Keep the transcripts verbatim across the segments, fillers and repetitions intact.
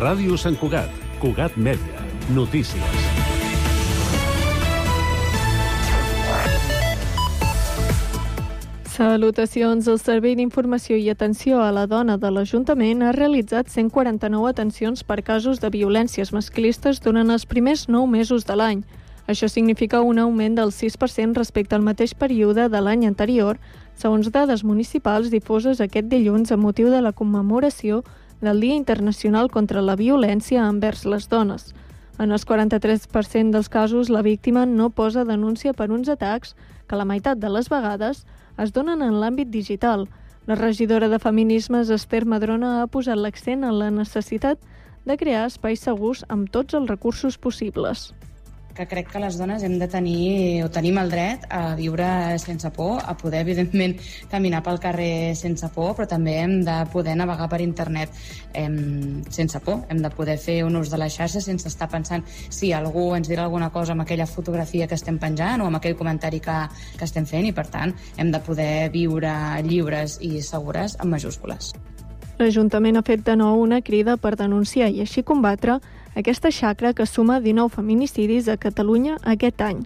Ràdio Sant Cugat, Cugat Mèdia, notícies. Salutacions. El Servei d'Informació i Atenció a la Dona de l'Ajuntament ha realitzat cent quaranta-nou atencions per casos de violències masclistes durant els primers nou mesos de l'any. Això significa un augment del sis per cent respecte al mateix període de l'any anterior, segons dades municipals difoses aquest dilluns amb motiu de la commemoració del Dia Internacional contra la Violència envers les Dones. En els quaranta-tres per cent dels casos, la víctima no posa denúncia per uns atacs que la meitat de les vegades es donen en l'àmbit digital. La regidora de Feminismes, Esther Madrona, ha posat l'accent en la necessitat de crear espais segurs amb tots els recursos possibles. Que crec que les dones hem de tenir, o tenim el dret a viure sense por, a poder, evidentment, caminar pel carrer sense por, però també hem de poder navegar per internet eh, sense por. Hem de poder fer un ús de la xarxa sense estar pensant si algú ens dirà alguna cosa amb aquella fotografia que estem penjant o amb aquell comentari que, que estem fent, i, per tant, hem de poder viure lliures i segures amb majúscules. L'Ajuntament ha fet de nou una crida per denunciar i així combatre aquesta xacra que suma dinou feminicidis a Catalunya aquest any.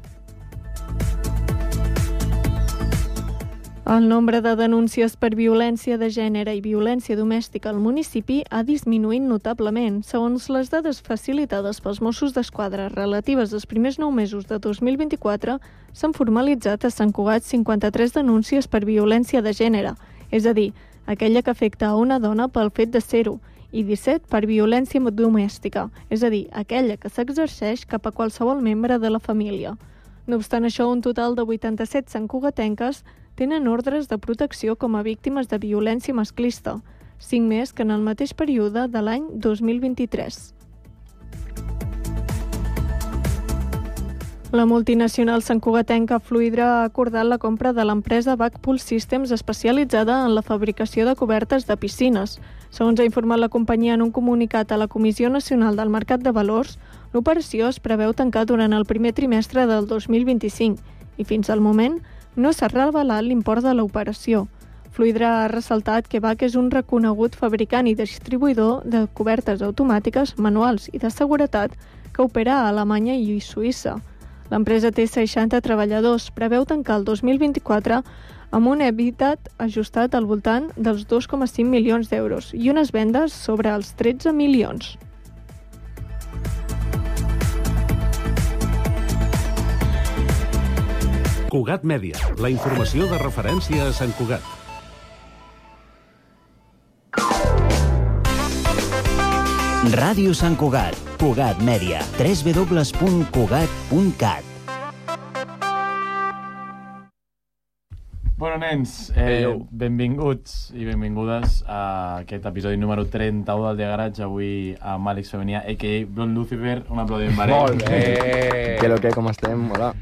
El nombre de denúncies per violència de gènere i violència domèstica al municipi ha disminuït notablement. Segons les dades facilitades pels Mossos d'Esquadra relatives als primers nou mesos de dos mil vint-i-quatre, s'han formalitzat a Sant Cugat cinquanta-tres denúncies per violència de gènere, és a dir, aquella que afecta a una dona pel fet de ser-ho, i disset per violència domèstica, és a dir, aquella que s'exerceix cap a qualsevol membre de la família. No obstant això, un total de vuitanta-set santcugatenques tenen ordres de protecció com a víctimes de violència masclista, cinc més que en el mateix període de l'any dos mil vint-i-tres. La multinacional santcugatenca Fluidra ha acordat la compra de l'empresa Backpool Systems, especialitzada en la fabricació de cobertes de piscines. Segons ha informat la companyia en un comunicat a la Comissió Nacional del Mercat de Valors, l'operació es preveu tancar durant el primer trimestre del dos mil vint-i-cinc i fins al moment no s'ha revelat l'import de l'operació. Fluidra ha ressaltat que B A C és un reconegut fabricant i distribuïdor de cobertes automàtiques, manuals i de seguretat que opera a Alemanya i Suïssa. L'empresa té seixanta treballadors, preveu tancar el dos mil vint-i-quatre amb un EBITDA ajustat al voltant dels dos coma cinc milions d'euros i unes vendes sobre els tretze milions. Cugat Mèdia, la informació de referència a Sant Cugat. Ràdio Sant Cugat, Cugat Mèdia, w w w punt cugat punt cat. Bueno, nens, eh, benvinguts i benvingudes a aquest episodi número trenta-u del Dia Garatge, avui amb Àlex Femenia, a k a. Blond Lucifer. Un aplaudiment per ell. Molt bé! Què lo que, com estem? Hola.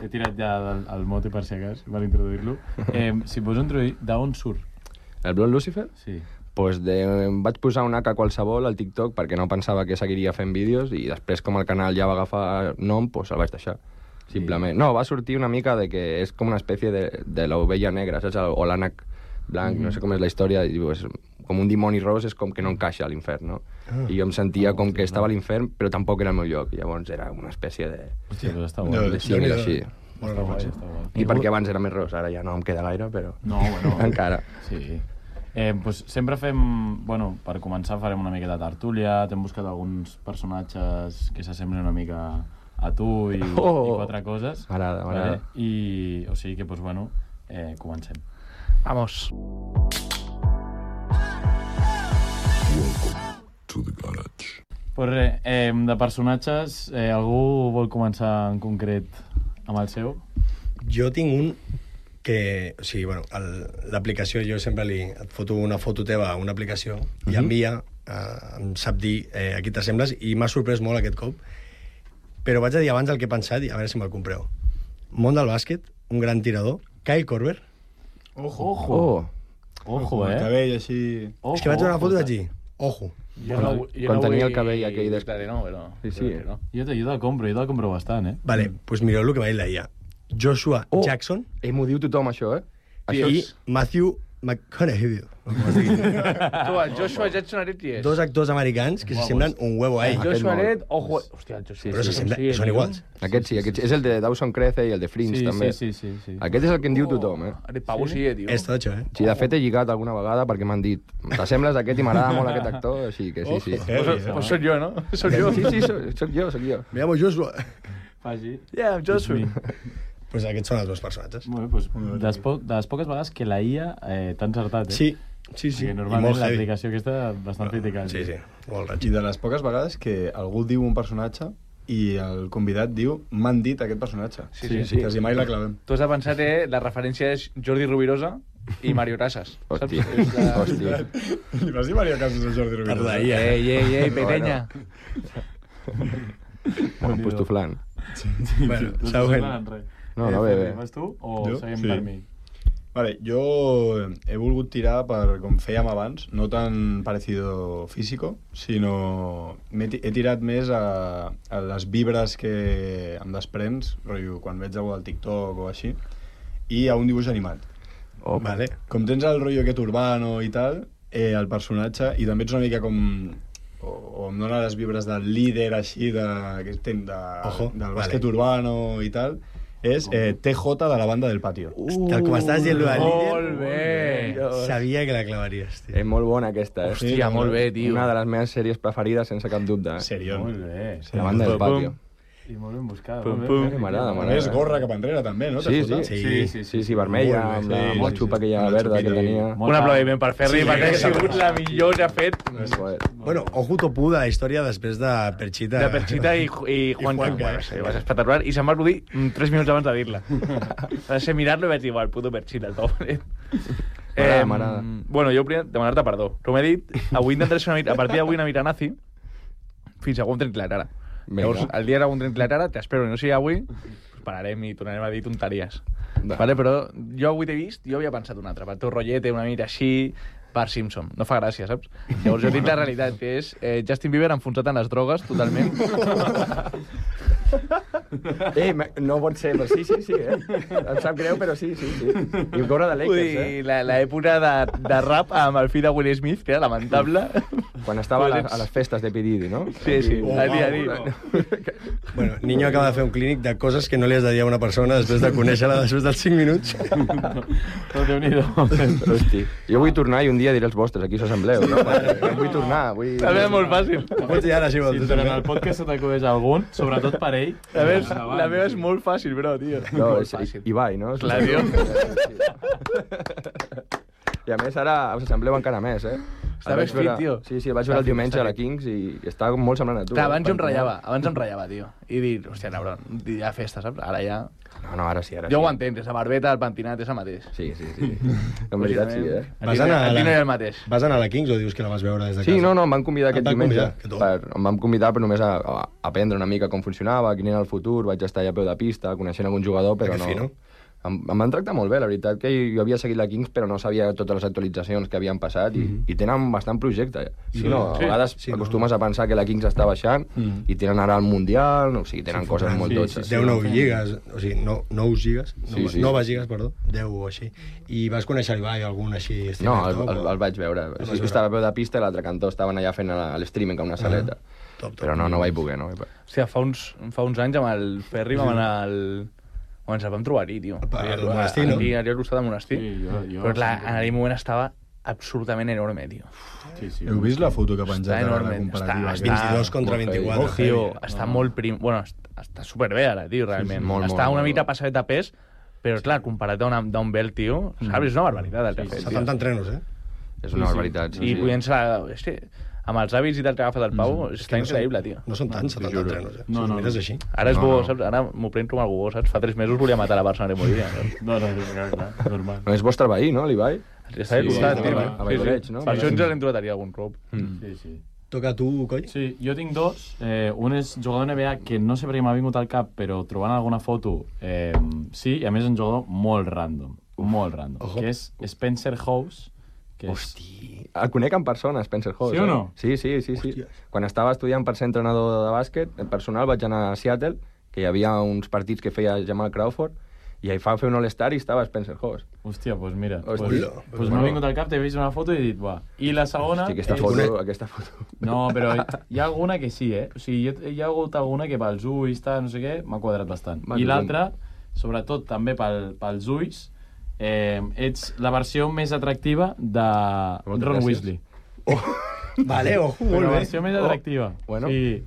He tirat ja el, el mote per si acas, per introduir-lo. Eh, si pots introduir, d'on surt? El Blond Lucifer? Sí. Pues de, em vaig posar un hac a qualsevol al TikTok perquè no pensava que seguiria fent vídeos i després, com el canal ja va agafar nom, pues el vaig deixar. Simplement. No, va sortir una mica de que és com una espècie de, de l'ovella negra, saps? O l'ànec blanc, mm-hmm. No sé com és la història, i és com un dimoni ros, és com que no encaixa a l'infern, no? Ah. I jo em sentia com que estava a l'infern, però tampoc era el meu lloc, i llavors era una espècie de... Hòstia, però està guai. De símil així. Està guai, està guai. I perquè abans era més ros, ara ja no em queda gaire, però... No, bueno... Encara. Sí. Eh, pues sempre fem... Bueno, per començar farem una mica de tertúlia, t'hem buscat alguns personatges que s'assemblen una mica a tu i, oh, i quatre coses. M'agrada, m'agrada. Vale? I, o sigui que, pues bueno, eh, comencem. Vamos. Welcome to the garage. Pues res, eh, de personatges, eh, algú vol començar en concret amb el seu? Jo tinc un que... O sigui, bueno, l'aplicació, jo sempre li... Et foto una foto teva a una aplicació i uh-huh. envia, eh, em sap dir eh, a qui t'assembles, i m'ha sorprès molt aquest cop. Però vaig a dir abans el que he pensat i a veure si me'l compreu. Món del bàsquet, un gran tirador, Kyle Korver. Ojo, ojo. Oh. Ojo, eh? El cabell així... Ojo, és que vaig veure una foto i vaig dir, ojo. Jo no, jo quan no tenia el cabell aquell... Des... No, però... Sí, sí. Però no. Jo te, jo te'l compro, jo te'l compro bastant, eh? Vale, doncs pues mireu el que va dir la I A. Joshua oh, Jackson. Eh, m'ho diu tothom, això, eh? I això és... Matthew McConaughey. Tu, el Joshua Jackson Aret qui és? Dos actors americans que s'assemblen un huevo a El ell. Joshua molt. Aret, ojo... Hòstia, el Joshua Sí, Però sí, s'assemblen, sí, són tio. iguals. Aquest sí, aquest sí. És el de Dawson Crece i el de Fringe, Sí, també. sí, sí, sí, sí. Aquest és el que en diu tothom, eh? Aret Pavo sí, eh, tio. És totxo, eh? Sí, de fet he lligat alguna vegada perquè m'han dit t'assembles a aquest i m'agrada molt aquest actor, així que sí, sí. Pues, pues soc jo, no? Soc jo. Sí, sí, soc, soc jo, soc jo. Me llamo Joshua. Faci. Yeah, I'm Joshua. Pues aquests són els meus personatges. Molt bé, doncs, de, les po de les poques vegades que la I A eh, t'ha encertat, eh? Sí, sí, sí. Perquè I normalment molt heavy. l'aplicació aquesta bastant criticada. Sí, sí, molt raig. I de les poques vegades que algú diu un personatge i el convidat diu m'han dit aquest personatge. Sí, sí, sí. Quasi mai la clavem. Tu has de pensar que la referència és Jordi Rovirosa i Mario Casas. Hòstia, És la... hòstia. Li vas dir Maria Casas a Jordi Rubio? Perdó, ahir, Ei, ei, ei, petenya. Em pustuflant. Bueno, No següent. en res. No, no, bé, bé. Vas tu o Jo? seguim Sí. per mi? Vale, jo he volgut tirar per com fèiem abans, no tan parecido físico, sinó he, he tirat més a, a les vibres que em desprens, rotllo, quan veig algú al TikTok o així, i a un dibuix animat. Oh, Vale. Com tens el rotllo aquest urbano i tal, eh, el personatge, i també ets una mica com... o, o em dona les vibres del líder així de, que ten, de, Ojo, del vale. bàsquet urbano i tal, és eh, T J de la banda del patio. Tal com estàs dient, lo del Molt líder, bé. sabia que la clavaries, tio. És molt bona aquesta, eh? Hòstia, molt bé, tio. Una de les meves sèries preferides, sense cap dubte. Eh? Serión. Molt bé. La banda del Pum, pum. patio. I molt ben buscada. Pum, molt pum. bé. M'agrada, A m'agrada. més, gorra cap enrere també, no? Sí, T J? sí, Sí, sí, sí, sí, vermella, Molt amb bé, la sí, motxupa sí, sí. aquella Una verda que xupita tenia. Un aplaudiment per Ferri, Sí, perquè ha sí, sigut sí. la millor que ha fet Joder. Bueno, ojo topú de la història després de Perchita. de Perchita i, i Juan Juanca, Bueno, eh? sí, va ser espectacular. I se'm va acudir tres minuts abans de dir-la. Va ser mirar-lo i vaig dir, igual, puto Perchita, el pobre. M'agrada, m'agrada. Bueno, jo volia demanar-te perdó. Com he dit, avui intentaré ser una mica, a partir d'avui una mica nazi, fins a un tren clara. Vinga. Llavors, el dia era un tren clara, t'espero que no sigui avui, pues pararem i tornarem a dir tonteries. Va. Vale, però jo avui t'he vist, jo havia pensat un altre, pel teu rotllet, una mica així, per Simpson. No fa gràcia, saps? Llavors jo tinc la realitat, que és eh, Justin Bieber enfonsat en les drogues, totalment. Ei, me- no pot ser, però sí, sí, sí, eh? Em sap greu, però sí, sí, sí. I un cobre de Vull Lakers, eh? dir, la- l'època de, de rap amb el fill de Will Smith, que era lamentable. Quan estava a, la, a les festes de P. Diddy, no? Sí, sí, Oh, a dia a wow. dia. Bueno, Niño acaba de fer un clínic de coses que no li has de dir a una persona després de conèixer-la després dels cinc minuts. No, Déu-n'hi-do. Hosti. Jo vull tornar i un dia diré els vostres, aquí s'assembleu. No? Vull tornar, vull... També és molt fàcil. Ho pots dir ara, si vols. Si tu durant també. el podcast se t'acudeix algun, sobretot per ell... La meva, és, endavant. la meva és molt fàcil, bro, tio. No, molt és fàcil. Ibai, no? Clar, tio. I a més ara us assembleu encara més, eh? Està El més vaig veure- fit, tio. Sí, sí, el vaig Està veure el fit, diumenge està a la fit. Kings i està molt semblant a tu. Clar, eh? abans jo em Perquè- ratllava, abans em ratllava, tio. I dir, hòstia, cabron, hi ha festa, saps? Ara ja... No, no, ara sí, ara Jo sí. ho entenc, és la barbeta, el pentinat, és el mateix. Sí, sí, sí. En veritat sí, eh? A Vas ti, anar a a ti no hi ha la... el mateix. Vas anar a la Kings o dius que la vas veure des de casa? Sí, no, no, em van convidar Et aquest van diumenge. convidar, que top. Per, em van convidar per només a, a aprendre una mica com funcionava, quin era el futur, vaig estar allà a peu de pista, coneixent algun jugador, però Que no... fino. Em, em van tractar molt bé, la veritat, que jo havia seguit la Kings, però no sabia totes les actualitzacions que havien passat, i, i tenen bastant projecte. Si no, a Sí. vegades Sí, no. acostumes a pensar que la Kings està baixant, i tenen ara el Mundial, no, o sigui, tenen coses fotran. molt Sí, totxes. sí, deu nou lligues, o sigui, no, nou lligues, Sí, sí. noves lligues, perdó, deu o així. I vas conèixer l'Ibai, algun així... No, estimat el, top, el, o- el vaig veure. vas Sí, veure. estava a peu de pista i l'altre cantó estaven allà fent la- l'streaming a una saleta. Top, top. Però no, no vaig poder, no vaig poder. Hòstia, fa uns, fa uns anys amb el Ferri vam anar al... On ens el vam trobar allí, tio. Al- al monestir, no? Aquí, allà al costat del monestir. Sí, jo- jo Però clar, sempre- en aquell moment estava absolutament enorme, tio. Sí, sí. Heu vist la foto que ha penjat Està ara, enorme, la comparativa? està- aquesta? vint-i-dos contra molt vint-i-quatre. heavy. Tio, heavy, eh? està molt prim... Bueno, està, està superbé ara, tio, realment. molt, està molt, una molt. mica passadet de pes, però, clar, comparat a una- d'un bel, tio, saps? És una barbaritat el que ha fet, tio. setanta entrenos, eh? És una Sí, sí. barbaritat. Sí, I sí. podent ser... És que, amb els hàbits i tal que ha agafat el Pau, està no són- increïble, tio. No són tants, setanta juro. entrenos, eh? No, Si no, ho mires no. així. Ara és No, bo, no. saps? Ara m'ho prenc com algú bo, saps? Fa tres mesos volia matar la persona que moria. Saps? No, no, clar, clar, normal. No és vostre veí, no, l'Ibai? Està al Sí, costat, sí, tio. a Sí, sí. Valldoreig, no? Per això ens l'hem trobat allà algun cop. Sí, sí. Toca a tu, Coll? Sí, jo tinc dos. Eh, un és jugador N B A que no sé per què m'ha vingut al cap, però trobant alguna foto, eh, sí, i a més és un jugador molt random, molt random, Ojo. que és Spencer House, que és... Hosti, el conec en persona, Spencer House. Sí o eh? no? Sí, sí, sí, sí. Hòsties. Quan estava estudiant per ser entrenador de bàsquet, en personal vaig anar a Seattle, que hi havia uns partits que feia Jamal Crawford, I ahí fa fer un All-Star i estava Spencer Hoss. Hòstia, doncs pues mira, Hòstia. pues, Pues pues m'ha vingut al cap, t'he vist una foto i he dit, buah. I la segona... Hosti, aquesta és- foto, aquesta foto. No, però hi ha alguna que sí, eh? O sigui, hi ha hagut alguna que pels ulls, tal, no sé què, m'ha quadrat bastant. Va, I tu l'altra, sobretot també pel, pels ulls, eh, ets la versió més atractiva de Moltes Ron gràcies. Weasley. Vale, ojo, Però molt la bé. versió més atractiva. Oh, bueno. Sí.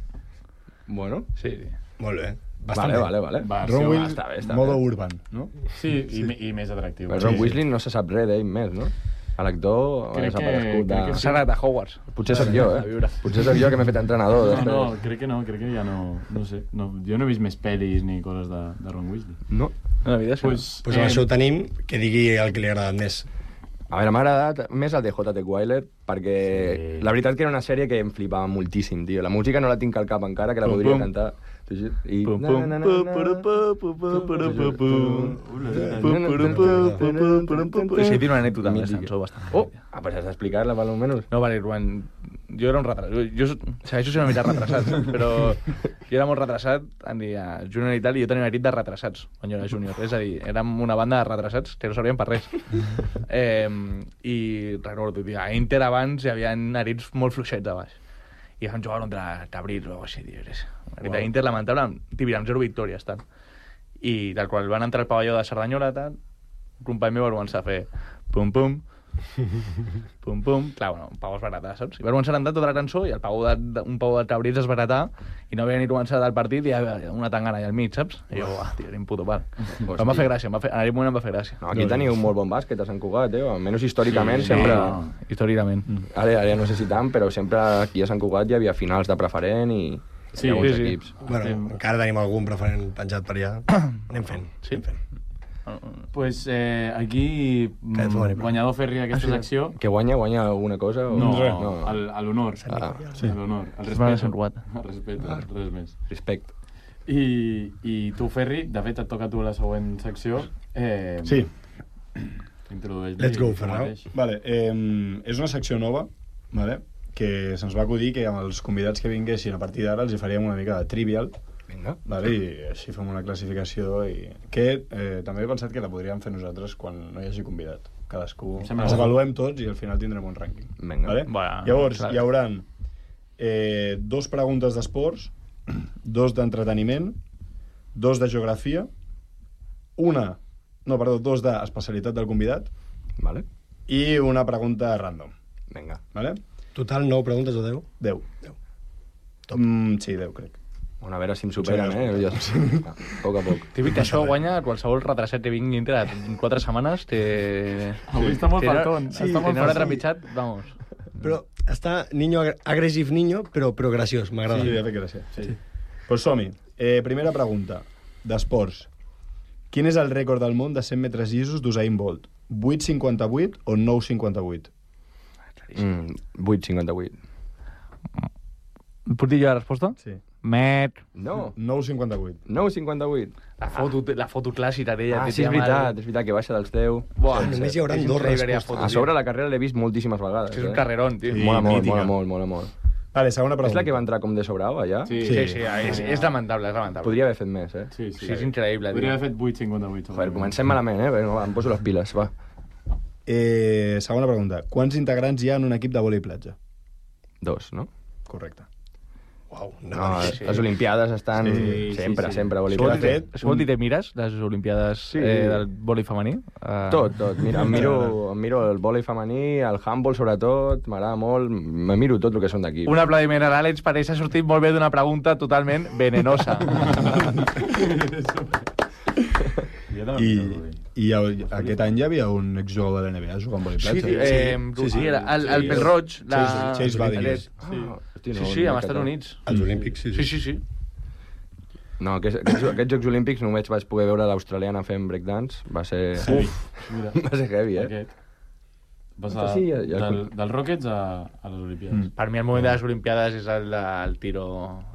Bueno, Sí, sí. Molt bé. Bastant vale, bé. vale, vale. Versió- Ron Ah, Weasley, està bé, està modo bé. urban, no? Sí, i, me- i més atractiu. Però Ron Sí. Weasley no se sap res d'ell més, no? A l'actor ha Crec que- desaparegut de... crec que sí. S'ha anat a Hogwarts. Potser sóc jo, A eh? viure. Potser sóc jo que m'he fet entrenador. No, després. no, crec que no, crec que ja no... No sé, no, jo no he vist més pel·lis ni coses de, de Ron Weasley. no. No, la veritat és que no. Pues, Pues amb això ho tenim, que digui el que li ha agradat més. A veure, m'ha agradat més el de J T Wyler, perquè Sí. la veritat que era una sèrie que em flipava moltíssim, tio. La música no la tinc al cap encara, que la Pum, podria pum. cantar. I... Pum, Na, pum, na, na, pu, na. puru, pu, pu, pu, puru, pu, pu. Pum, Pum, puru, pu, pu, pu, puru, pu, pu. Sí, tiene una anècdota amb Mítica. aquesta cançó bastant. Oh, ah, pues has d'explicar-la, per almenys. No, vale, Ruan, jo era un retrasat. Jo, jo segueixo sent una mica retrasat, però jo era molt retrasat, en dia júnior i tal, i jo tenia una nit de retrasats quan jo era júnior. És a dir, érem una banda de retrasats que no servíem per res. Eh, I recordo, tio, a Inter abans hi havia nerits molt fluixets a baix. I vam jugar contra Cabrils o així, tio. És una nit d'Inter lamentable, tio, amb zero victòries, tal. I tal qual van entrar al pavelló de Cerdanyola, tal, un company meu va començar a fer pum, pum, pum, pum, clar, bueno, un pau es baratar, saps? I va començar a cantar tota la cançó i el pau de, de, un pau de Cabrils es baratar i no havia ni començat el partit i hi havia una tangana allà al mig, saps? I jo, uah, tio, era un puto pal. Però em va fer gràcia, em va fer, en aquell moment em va fer gràcia. No, aquí teniu un molt bon bàsquet a Sant Cugat, eh? Almenys històricament, Sí, sempre... no. Històricament. Ara, ara no sé si tant, però sempre aquí a Sant Cugat hi havia finals de preferent i Sí, hi ha bons sí, sí. equips. Bueno, Estem- encara tenim algun preferent penjat per allà. Anem fent. Sí? Anem fent. Pues eh, aquí, mm, Caet fora, guanyador Ferri d'aquesta secció... Que guanya, guanya alguna cosa? O... No, no. el- a l'honor. Ah, Sí. A l'honor. El Es va a respecte. Sant Cugat. El respecte, res més. Respecte. I, I tu, Ferri, de fet et toca a tu la següent secció. Eh, Sí. Introdueix-li Let's go, tu Ferran. mateix. Vale, eh, és una secció nova, vale? Que se'ns va acudir que amb els convidats que vinguessin a partir d'ara els hi faríem una mica de trivial, Vinga. vale? I així fem una classificació i... que eh, també he pensat que la podríem fer nosaltres quan no hi hagi convidat. Cadascú Em sembla ens bo. avaluem tots i al final tindrem un rànquing. Vinga. Vale? Bueno, Llavors, clar. hi haurà eh, dos preguntes d'esports, dos d'entreteniment, dos de geografia, una, no, perdó, dos d'especialitat del convidat Vale. i una pregunta random. Vinga. Vale? Total, nou preguntes o deu? deu. Deu. Mm, sí, deu, crec. Bueno, a veure si em superen, Sí, eh? Jo... A poc a poc. Típic que això guanya qualsevol retrasat que vingui dintre en quatre setmanes té... Avui està molt té- fartón, Sí, està molt té una fartón. trepitjat, vamos. Però està niño ag agressive niño, però, però graciós, m'agrada. Sí, ja fet gràcia. Sí. Pues som-hi. Eh, primera pregunta, d'esports. Quin és el rècord del món de cent metres llisos d'Usain Bolt? vuit cinquanta-vuit o nou cinquanta-vuit? Mm, vuit cinquanta-vuit. Puc dir jo la resposta? Sí. Met. No, nou cinquanta-vuit. nou cinquanta-vuit. La foto, la foto clàssica d'ella. Ah, que sí, té és amb el- veritat, és veritat que baixa dels teus. Buah, Només hi haurà és dos increïble aquella respostes. foto, A tio. sobre la carrera l'he vist moltíssimes vegades. És un eh? carrerón, tio. Sí. Mola molt, mítica. mola molt, mola molt. Vale, segona És pregunta. la que va entrar com de sobrau, allà? Sí, Sí, sí, és, és lamentable, és lamentable. Podria haver fet més, eh? Sí, sí. Sí, és increïble, tio. Podria haver fet vuit cinquanta-vuit. Joder, comencem malament, eh? Perquè no, em poso les piles, va. Eh, segona pregunta. Quants integrants hi ha en un equip de vòlei platja? Dos, no? Correcte. Uau, no, No, sí, sí. les Olimpiades estan Sí, sí, sempre, sí. sempre. Això vol Olimpiades. dir, fet, això vol dir que mires les Olimpiades Sí. eh, del vòlei femení? Uh, Tot, tot. Mira, em miro, em miro el vòlei femení, el handball sobretot, m'agrada molt, me miro tot el que són d'aquí. Un aplaudiment a l'Àlex, perquè s'ha sortit molt bé d'una pregunta totalment venenosa. I, i el, aquest any ja havia un exjugador de l'N B A jugant a vòlei Sí, platja. tio, eh, sí, sí, era el, el pèl roig. La... Chase- Chase Badinter. Sí, Ah, hosti, sí, no, sí, no amb he Estats catat. Units. Els Olímpics, sí. Sí, sí, sí. No, aquests, aquests, aquests Jocs Olímpics només vaig poder veure l'australiana fent breakdance. Va ser... Uf, mira. Va ser heavy, eh? Aquest. Vas Doncs a, sí, ja- ja- del, dels Rockets a, a les Olimpiades. Mm. Per mi el moment de les Olimpiades és el del tiro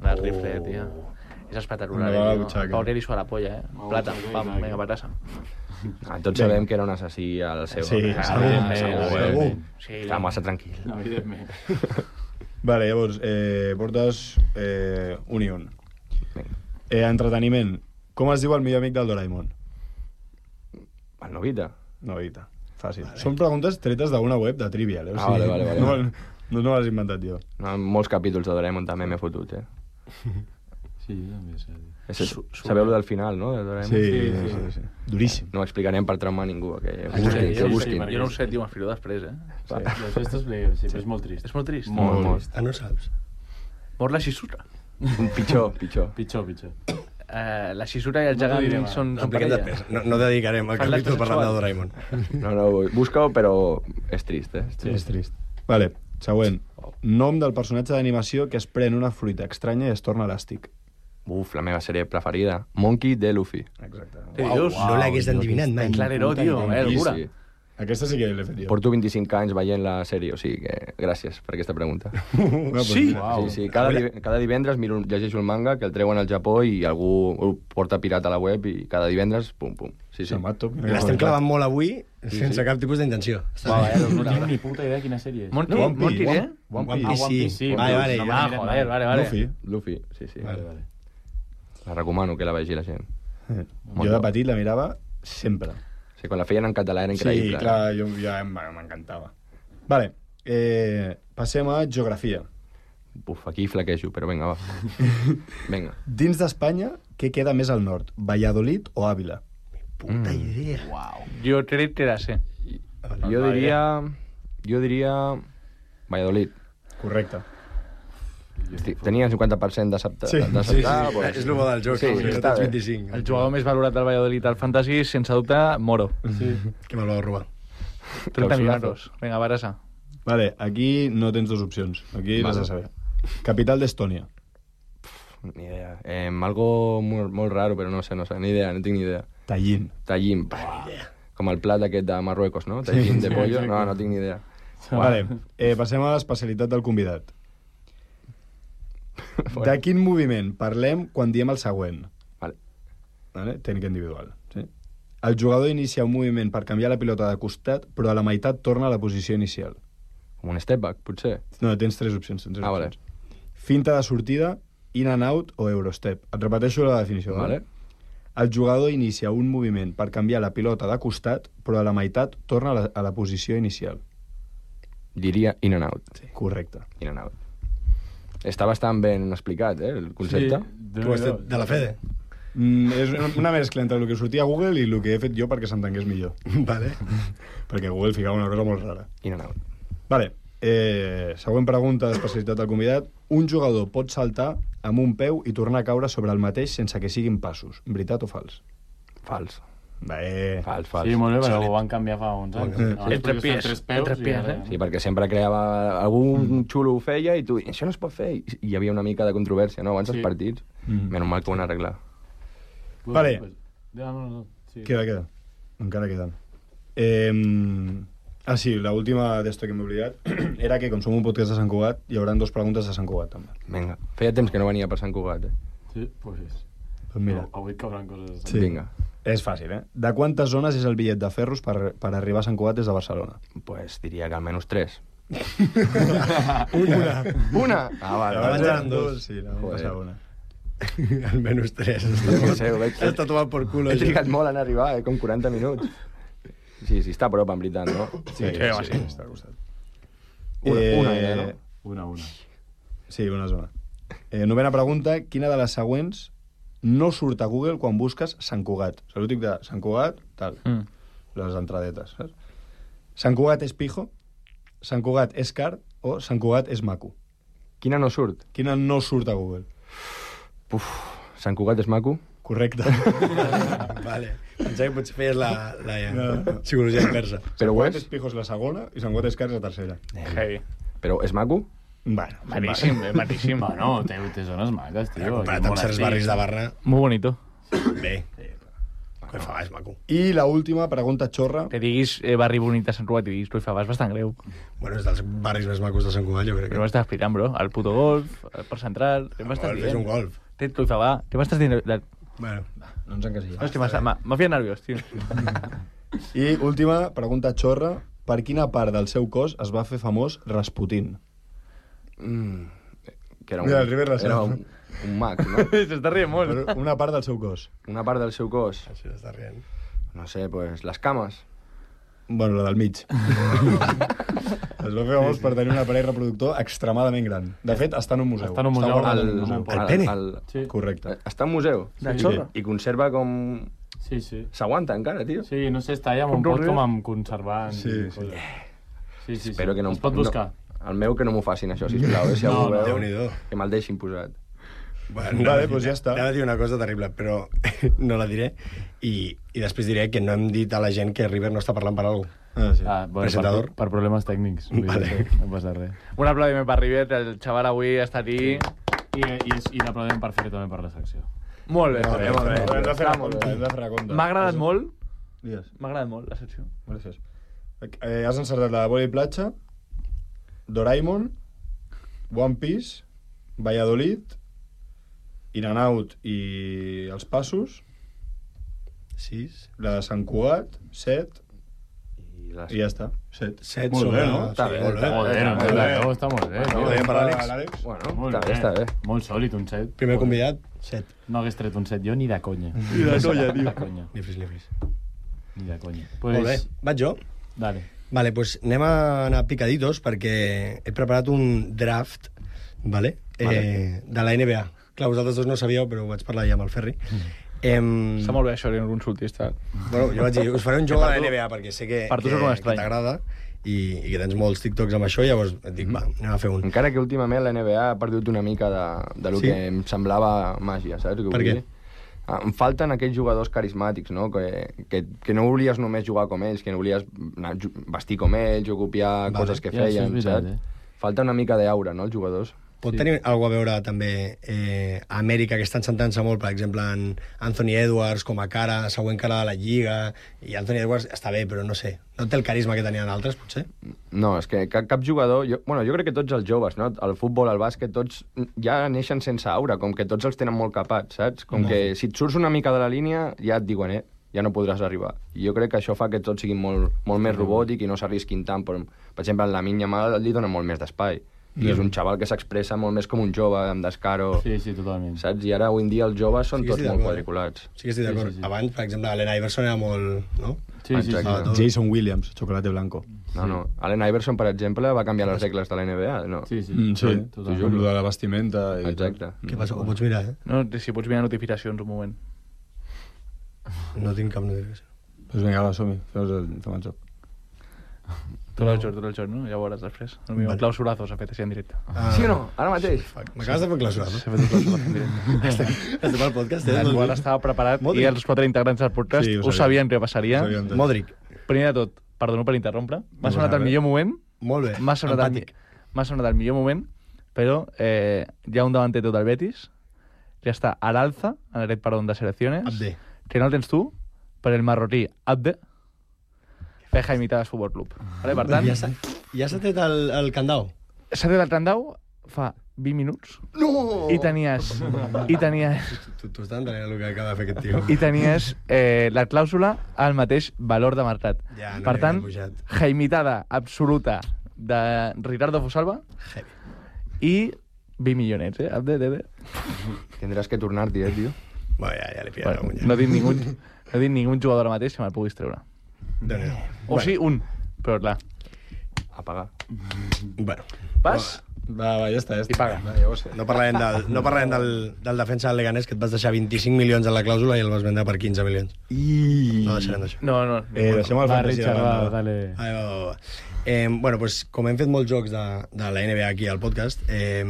del rifle, tio. És espectacular, Una vegada a la eh, butxaca. tio. Pau Reri suar la polla, eh? Oh, Plata, sí, pam, exacte. vinga, patassa. Ah, tots sabem que era un assassí al seu. Sí, no? sí, Ah, sí, segur, sí. eh? Segur. Sí, Està massa tranquil. No, evidentment. Vale, llavors, eh, portes eh, un i un. Vinga. Eh, entreteniment. Com es diu el millor amic del Doraemon? El Novita. Novita. Fàcil. Vale. Són preguntes tretes d'una web de Trivial, eh? O Ah, sigui, vale, vale, vale. No, no, no les he inventat jo. No, en molts capítols de Doraemon també m'he fotut, eh? Sí, també sé. És, sabeu lo del final, no? De Doraemon? Sí, sí, sí, sí, sí. Duríssim. No ho explicarem per traumar ningú, que Sí, busquin, jo, que no busquin. sé, jo no ho sé, tio, m'explico després, eh? Sí, jo això t'explico, sí, però és molt trist. És molt trist. Molt, Molt, molt trist. Ah, no saps? Mor la Shizura. Pitjor, pitjor. Pitjor, pitjor. Uh, la Shizura i el No t'ho gegant direm, són, No, són expliquem parella. després. No, no dedicarem el Fan l'acte capítol parlant de sexual. Doraemon. No, no, busca-ho, però és trist, eh? Sí. És trist. Vale, següent. Nom del personatge d'animació que es pren una fruita estranya i es torna elàstic. Uf, la meva sèrie preferida. Monkey D. Luffy. Exacte. Què dius? No l'hagués endivinat mai. Clarero, tio, eh, Sí, locura. sí. Aquesta sí que l'he fet jo. Porto vint-i-cinc anys veient la sèrie, o sigui que gràcies per aquesta pregunta. No, pues Sí? mira. Uau. Sí, sí, cada, div cada divendres miro, llegeixo el manga que el treuen al Japó i algú ho porta pirat a la web i cada divendres, pum, pum. Sí, sí. Samato. L'estem clavant molt avui sense cap tipus d'intenció. Uau, eh, no tinc ni puta idea quina sèrie és. Monty, One Piece. Monty, eh? One One Piece. Piece, sí. sí, Vale, vale, no ja. Ah, m'he mirat joder, mai. vale, vale. Luffy. Luffy, sí, sí. Vale, vale. La recomano que la vegi la gent. Eh, Molt Jo de bo. petit la mirava sempre. Sí, quan la feien en català era increïble. Sí, clar, jo, ja em- m'encantava. Vale, eh, passem a geografia. Uf, aquí flaquejo, però vinga, va. Vinga. Dins d'Espanya, què queda més al nord? Valladolid o Àvila? Puta idea. Jo crec que la sé. Jo diria... Jo diria... Valladolid. Correcte. Estic, tenia el cinquanta per cent d'acceptar. Sí, sí, sí, sí. És el bo del joc, Sí, sí, que està tens bé. vint-i-cinc. El jugador més valorat del Valladolid al Fantasy, sense dubte, Moro. Sí. Que me'l va robar. trenta Clausurazo. milions. Vinga, Barassa. Vale, aquí no tens dues opcions. Aquí l'has Vale. de saber. Capital d'Estònia. Ni idea. Eh, algo molt, molt raro, però no sé, no sé, ni idea, no tinc ni idea. Tallín. Tallín. Com el plat aquest de Marruecos, no? Tallín de pollo. No, no tinc ni idea. Vale, eh, passem a l'especialitat del convidat. De quin moviment parlem quan diem el següent? Vale. Vale? Tècnica individual. Sí? El jugador inicia un moviment per canviar la pilota de costat, però a la meitat torna a la posició inicial. Com un step back, potser. No, tens tres opcions. Tens tres Ah, vale. opcions. Finta de sortida, in and out o eurostep. Et repeteixo la definició. Vale. El jugador inicia un moviment per canviar la pilota de costat, però a la meitat torna a la, a la posició inicial. Diria in and out. Sí. Correcte. In and out. Està bastant ben explicat, eh, el concepte. Sí, Tu has fet de la Fede. Mm, és una, una mescla entre el que sortia a Google i el que he fet jo perquè s'entengués millor. Vale. Perquè Google ficava una cosa molt rara. In and out. Vale. Eh, següent pregunta d'especialitat del convidat. Un jugador pot saltar amb un peu i tornar a caure sobre el mateix sense que siguin passos. Veritat o fals? Fals. Bé. Fals, fals. Sí, molt bé, però ho van canviar fa uns anys. Eh, Abans entre podies fer pies, tres peus entre i pies, ara- eh? Sí, perquè sempre creava... Algun xulo ho feia i tu... Això no es pot fer. I hi havia una mica de controvèrsia, no? Abans Sí. dels partits. Mm. Menys mal que ho van arreglar. Pues, Vale. Pues, ja, no, no, sí. Queda, queda. Encara queden. Eh, ah, sí, l'última d'esto que m'he oblidat era que, com som un podcast de Sant Cugat, hi haurà dos preguntes de Sant Cugat, també. Vinga. Feia temps que no venia per Sant Cugat, eh? Sí, pues és. Doncs mira, No, avui cauran coses... Sí. Vinga. és fàcil, eh? De quantes zones és el bitllet de ferros per, per arribar a Sant Cugat des de Barcelona? Pues diria que almenys tres. Una. Una? Ah, vale. Abans vale. eren dos. Sí, no, Joder. passava una. Almenys tres. Jo què sé, ho veig. Està tomant per culo. He això. trigat molt en arribar, eh? Com quaranta minuts. Sí, sí, està a prop, en veritat, no? Sí, Sí, home, sí. està al costat. Una, una idea, no? Una, una. Sí, una zona. Eh, novena pregunta. Quina de les següents no surt a Google quan busques Sant Cugat? O sigui, l'útic de Sant Cugat, tal. Mm. Les entradetes, saps? Sant Cugat és pijo, Sant Cugat és car o Sant Cugat és maco? Quina no surt? Quina no surt a Google? Uf, Sant Cugat és maco? Correcte. Vale. Pensava que potser feies la, la No. psicologia inversa. Però Sant ho Cugat és? és pijo és la segona i Sant Cugat és car és la tercera. Heavy. Però és maco? Bueno, Matíssim, eh, matíssim. Bueno, té, té zones maques, tio. Comparat amb certs barris de Barra, Muy bonito. bé. Que fa, és maco. I la última pregunta xorra. Que diguis eh, barri bonic de Sant Cugat i diguis Truifabà és bastant greu. Bueno, és dels barris més macos de Sant Cugat, jo crec Però que... m'estàs explicant, bro. El puto golf, el Port Central... Què m'estàs Golf, és un dient? golf. Té Truifabà. Què m'estàs dient? De... Bueno, No ens encasillem. Hòstia, m'ha- m'ha m'ha fiat nerviós, tio. I última pregunta xorra. Per quina part del seu cos es va fer famós Rasputin? Mm, que era un, Mira, el River la era sap. un, un mag, no? S'està rient molt. Per una part del seu cos. Una part del seu cos. això està rient. No sé, pues les cames. Bueno, la del mig. Es va fer famós per tenir un aparell reproductor extremadament gran. De fet, està en un museu. Està en un museu. guardat El, en un museu. el, El pene? el, Sí. Correcte. està en museu. De Sí, xorra. I conserva com... Sí, sí. S'aguanta encara, tio. Sí, no sé, està allà amb un Com pot Rodríguez? com amb conservant. Sí, i sí. coses. Sí, sí, Espero sí. que no... Es pot buscar. No, el meu que no m'ho facin, això, sisplau. Eh? Si No, algú no. veu, Déu-n'hi-do. que me'l deixin posat. Bueno, Vale, doncs ja està. Anava a dir una cosa terrible, però no la diré. I, I després diré que no hem dit a la gent que River no està parlant per alguna cosa. Ah, sí. Ah, bueno, Presentador. Per, per problemes tècnics. Vull Vale. dir, no passa res. Un aplaudiment per River, el xaval avui està aquí. I, i, és- i l'aplaudiment per fer també per la secció. Molt bé, Molt bé, molt bé. Però hem de fer Està la molt compte, bé. hem de fer la compte. M'ha agradat molt, Digues. m'ha agradat molt la secció. Gràcies. Eh, has encertat la Bola i Platja, Doraemon, One Piece, Valladolid, In and Out i Els Passos, Sis. la de Sant Cugat, set, I les... i ja està. Set. Set Molt sobre... bé, no? Està Sí, bé, molt bé. està Joder, no, molt bé. no, està molt bé. Molt tio. bé per l'Àlex. Bueno, Molt està bé, està bé. Molt sòlid, un set. Primer convidat, set. No hagués tret un set jo ni de conya. Ni de conya, tio. Ni de conya. Ni fris, ni fris. Ni de conya. Molt bé. Vaig jo? Dale. Vale, pues anem a anar picaditos perquè he preparat un draft, vale? Vale. Eh, de la N B A. Clar, vosaltres dos no sabíeu, però ho vaig parlar ja amb el Ferri. Em... Està molt bé això, que no consultis. Tal. Bueno, jo vaig dir, us faré un joc a la N B A perquè sé que, per tu que, sóc un que estrany. t'agrada i, i que tens molts TikToks amb això, llavors et dic, va, anem a fer un. Encara que últimament la N B A ha perdut una mica de, de lo Sí? que em semblava màgia, saps? Què Per vull què? dir? Ah, em falten aquells jugadors carismàtics, no? Que, que, que no volies només jugar com ells, que no volies anar, ju- vestir com ells o copiar Vale. coses que Ja, això és feien, veritat, saps? eh? Falta una mica d'aura, no, els jugadors? Pot tenir alguna a veure també eh, a Amèrica, que estan sentant-se molt, per exemple, en Anthony Edwards com a cara, següent cara de la Lliga, i Anthony Edwards està bé, però no sé, no té el carisma que tenien altres, potser? No, és que cap, cap jugador... Jo, bueno, jo crec que tots els joves, no? El futbol, el bàsquet, tots ja neixen sense aura, com que tots els tenen molt capats, saps? Com que si et surts una mica de la línia, ja et diuen, eh, ja no podràs arribar. I jo crec que això fa que tots siguin molt, molt més robòtic i no s'arrisquin tant. Per, per exemple, en la Lamine Yamal li dona molt més d'espai. I és un xaval que s'expressa molt més com un jove, amb descaro, Sí, sí, totalment. saps? I ara, avui en dia, els joves són Sí que tots estic molt d'acord. quadriculats. Sí que estic d'acord. sí, sí. Abans, per exemple, Allen Iverson era molt... No? Sí, sí, sí. Exacte. Tot. Jason Williams, chocolate blanco. No, no. Allen Iverson, per exemple, va canviar les regles de la N B A, no? Sí, sí. Mm, sí, totalment. com lo de la vestimenta. I Exacte. Què passa? Ho pots mirar, eh? No, si pots mirar notificacions un moment. No tinc cap notificació. Pues vinga, va, som-hi, fem el, fem el joc. Tot el joc, tot el joc, no? Ja ho veuràs després. El meu Vale. clausurazo s'ha fet així en directe. Ah, Sí o no? Ara mateix? fuck, m'acabes de fer clausura, no? S'ha fet un clausurazo en directe. Estem al podcast, eh? El qual estava preparat Modric. i els quatre integrants del podcast Sí, ho ho sabien. sabien que passaria. Ho sabien tot. Modric. Primer de tot, perdono per interrompre, m'ha No sonat passa el res. millor moment, Molt bé. m'ha sonat, el, Empàtic. m'ha sonat el millor moment, però eh, hi ha un davanter del Betis, que està a l'alza, en aquest perdó de selecciones, Abde. que no el tens tu, per el marroquí Abde, per Jaimitadas Futbol Club. Vale, per tant, Ja s'ha ja s'ha tret el, el candau? s'ha tret el Trandau fa vint minuts No! i tenies, i tenies, Tu, tu estàs entenent el que acaba de fer aquest tio? i tenies eh, la clàusula al mateix valor de mercat. Ja, no per li tant, havia pujat. jaimitada absoluta de Ricardo Fosalva Heavy. i vint milionets, eh? Abde, de, de. Tindràs que tornar-t'hi, eh, tio? Bueno, ja, ja li pillaré Bueno, la no tinc ningú, no tinc ningú jugador ara mateix que me'l puguis treure. Déu-n'hi-do. O sí, un, però clar. A pagar. Bueno, Vas Va, va, ja està, ja està. i paga. Va, ja ho sé. no parlarem, del, no parlarem del, del defensa del Leganés, que et vas deixar vint-i-cinc milions en la clàusula i el vas vendre per quinze milions. I... No deixarem d'això. No, no. Eh, deixem el Va, fantasy Richard, de va, banda. dale. Ai, va, va, va. Eh, bueno, pues, com hem fet molts jocs de, de la N B A aquí al podcast, eh,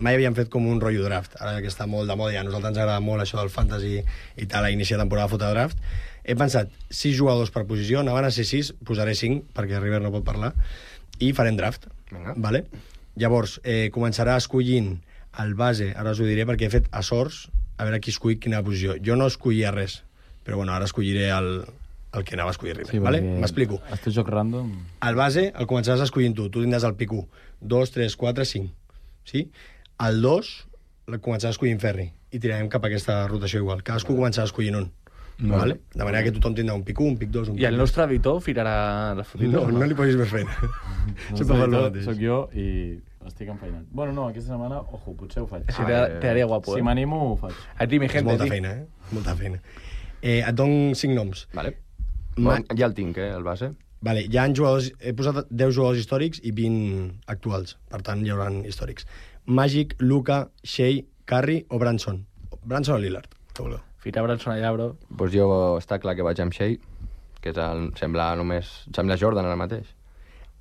mai havíem fet com un rotllo draft. Ara que està molt de moda i a nosaltres ens agrada molt això del fantasy i tal, a iniciar temporada a fotre draft, he pensat sis jugadors per posició, anaven a ser sis, posaré cinc, perquè River no pot parlar, i farem draft. Vinga. Vale? Llavors, eh, començarà escollint el base, ara us ho diré, perquè he fet a sorts, a veure qui escull quina posició. Jo no escollia res, però bueno, ara escolliré el, el que anava a escollir River. Sí, vale? perquè M'explico. El teu joc random... El base el començaràs escollint tu. Tu tindràs el pic u. dos, tres, quatre, cinc. Sí? El dos el començaràs escollint Ferri. I tirarem cap a aquesta rotació igual. Cadascú començarà escollint un. Vale. Vale? De manera que tothom tindrà un pic u, un pic dos, un pic I el nostre editor firarà la fotita? No, no li posis més feina. No Sempre fa el soc, mateix. soc jo i estic enfeinat. Bueno, no, aquesta setmana, ojo, potser ho faig. Sí, te, te haría guapo, Si eh? m'animo, ho faig. Aquí, mi És gente, molta sí. feina, eh? Molta feina. Eh, et dono cinc noms. Vale. Ma- Bon, ja el tinc, eh, el base. Vale, hi ha jugadors, he posat deu jugadors històrics i vint actuals, per tant hi haurà històrics. Magic, Luka, Shea, Curry o Branson? Branson o Lillard, que vulgueu. Ficar Branson allà, bro. Pues jo està clar que vaig amb Shea, que és el, sembla només... Sembla Jordan ara mateix.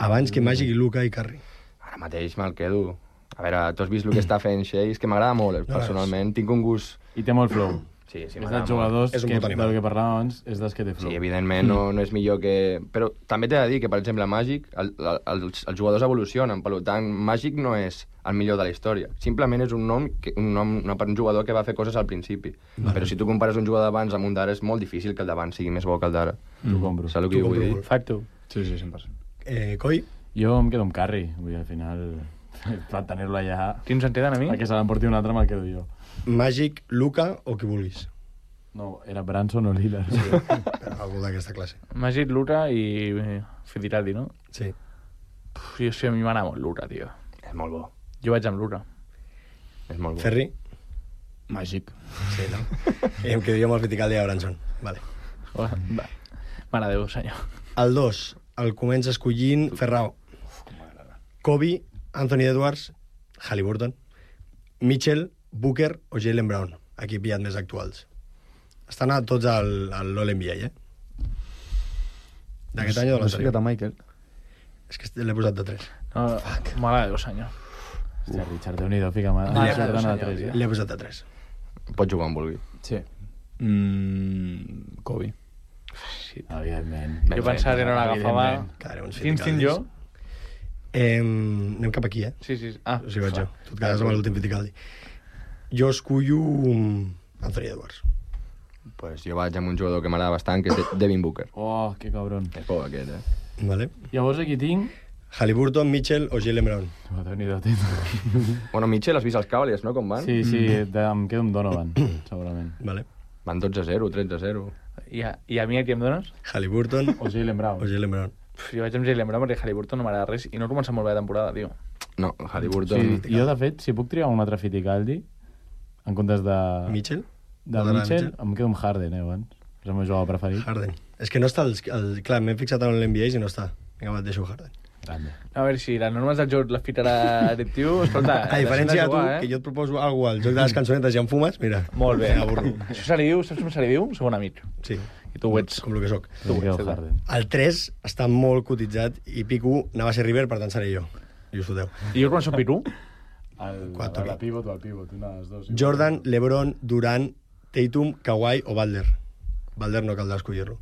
Abans que Magic, Luka i Curry. Ara mateix me'l quedo. A veure, tu has vist el que està fent Shea, és que m'agrada molt, No, personalment. Tinc un gust... I té molt flow. Sí, sí, És m'agrada dels jugadors És un que, puto animal. del que parlàvem abans, és dels que té flow. Sí, evidentment no, no és millor que... Però també t'he de dir que, per exemple, Magic, el, el, els, els jugadors evolucionen, per tant, Magic no és el millor de la història. Simplement és un nom, que, un nom no, per un jugador que va fer coses al principi. Vale. Però si tu compares un jugador d'abans amb un d'ara, és molt difícil que el d'abans sigui més bo que el d'ara. T'ho compro. Saps el que T'ho jo vull compro dir? Facto. Sí, sí, cent per cent. Eh, Coi? Jo em quedo amb Curry. Vull dir, al final, per tenir-lo allà... Quins en queden a mi? A que se l'emporti un altre me'l quedo jo. Magic, Luka o qui vulguis. No, era Branson o Lillard. Sí. Però algú d'aquesta classe. Magic, Lura i eh, Fidiraldi, no? Sí. Puf, jo sí, a mi m'agrada molt Lura, tio. És molt bo. Jo vaig amb Lura. És molt bo. Ferri? Màgic. Sí, no? I em quedo jo amb el Fiticaldi de Branson. Vale. Va. Mare de Déu, senyor. El dos, el comença escollint Ferrao. Kobe, Anthony Edwards, Halliburton, Mitchell, Booker o Jaylen Brown. Aquí he pillat més actuals. Estan a tots al, al l'All-N B A, eh? D'aquest any o de No sé l'anterior? que Michael. És que l'he posat de tres. No, mare de Déu, senyor. Hòstia, Richard, Déu-n'hi-do, fica mà. Ah, Jordan a senyor, tres, ja. L'he posat de tres. Pots jugar on vulgui. Sí. Mm, Kobe. Sí. Evidentment. Jo pensava que era una agafava... Evidentment. Quedaré uns Quins tinc jo? Eh, anem cap aquí, eh? Sí, sí. Ah, O sigui, vaig jo. Tu et quedes amb l'últim Fiticaldi. Jo escullo Anthony Edwards. Pues jo vaig amb un jugador que m'agrada bastant, que és De- Devin Booker. Oh, que cabron. És bo aquest, eh? Vale. Llavors aquí tinc... Halliburton, Mitchell o Jaylen Brown. Oh, Déu-n'hi-do, tio. Bueno, Mitchell, has vist els Cavaliers, no? Com van? Sí, sí, de, em quedo amb Donovan, segurament. Vale. Van dotze a zero, tretze a zero. I a, i a mi aquí em dones? Halliburton O Jaylen Brown. o Jaylen Brown. Puf, jo vaig amb Jaylen Brown perquè Halliburton no m'agrada res i no ha començat molt bé la temporada, tio. No, Halliburton... Sí, jo, de fet, si puc triar un altre Fiticaldi, en comptes de... Mitchell? De T'agrada Mitchell, Mitchell? em quedo amb Harden, eh, abans. És el meu jugador preferit. Harden. És que no està... El, el, clar, m'he fixat en l'N B A i no està. Vinga, va, et deixo Harden. Grande. A veure, si les normes del joc les ficarà aquest tio, escolta... A diferència de tu, jugar, que jo et proposo alguna al joc de les cançonetes i en fumes, mira. Molt bé. Avorro. Això se li diu, saps com se li diu? Segon amic. Sí. I tu ho ets. Com el que soc. Tu ets, quedo César. Harden. El tres està molt cotitzat i pic u anava a ser River, per tant seré jo. I us foteu. I jo quan soc Piru? El, Quatre. la pivot o el pivot, una de les dues. Jordan, LeBron, Durant, Tatum, Kawhi o Butler. Butler no caldrà escollir-lo.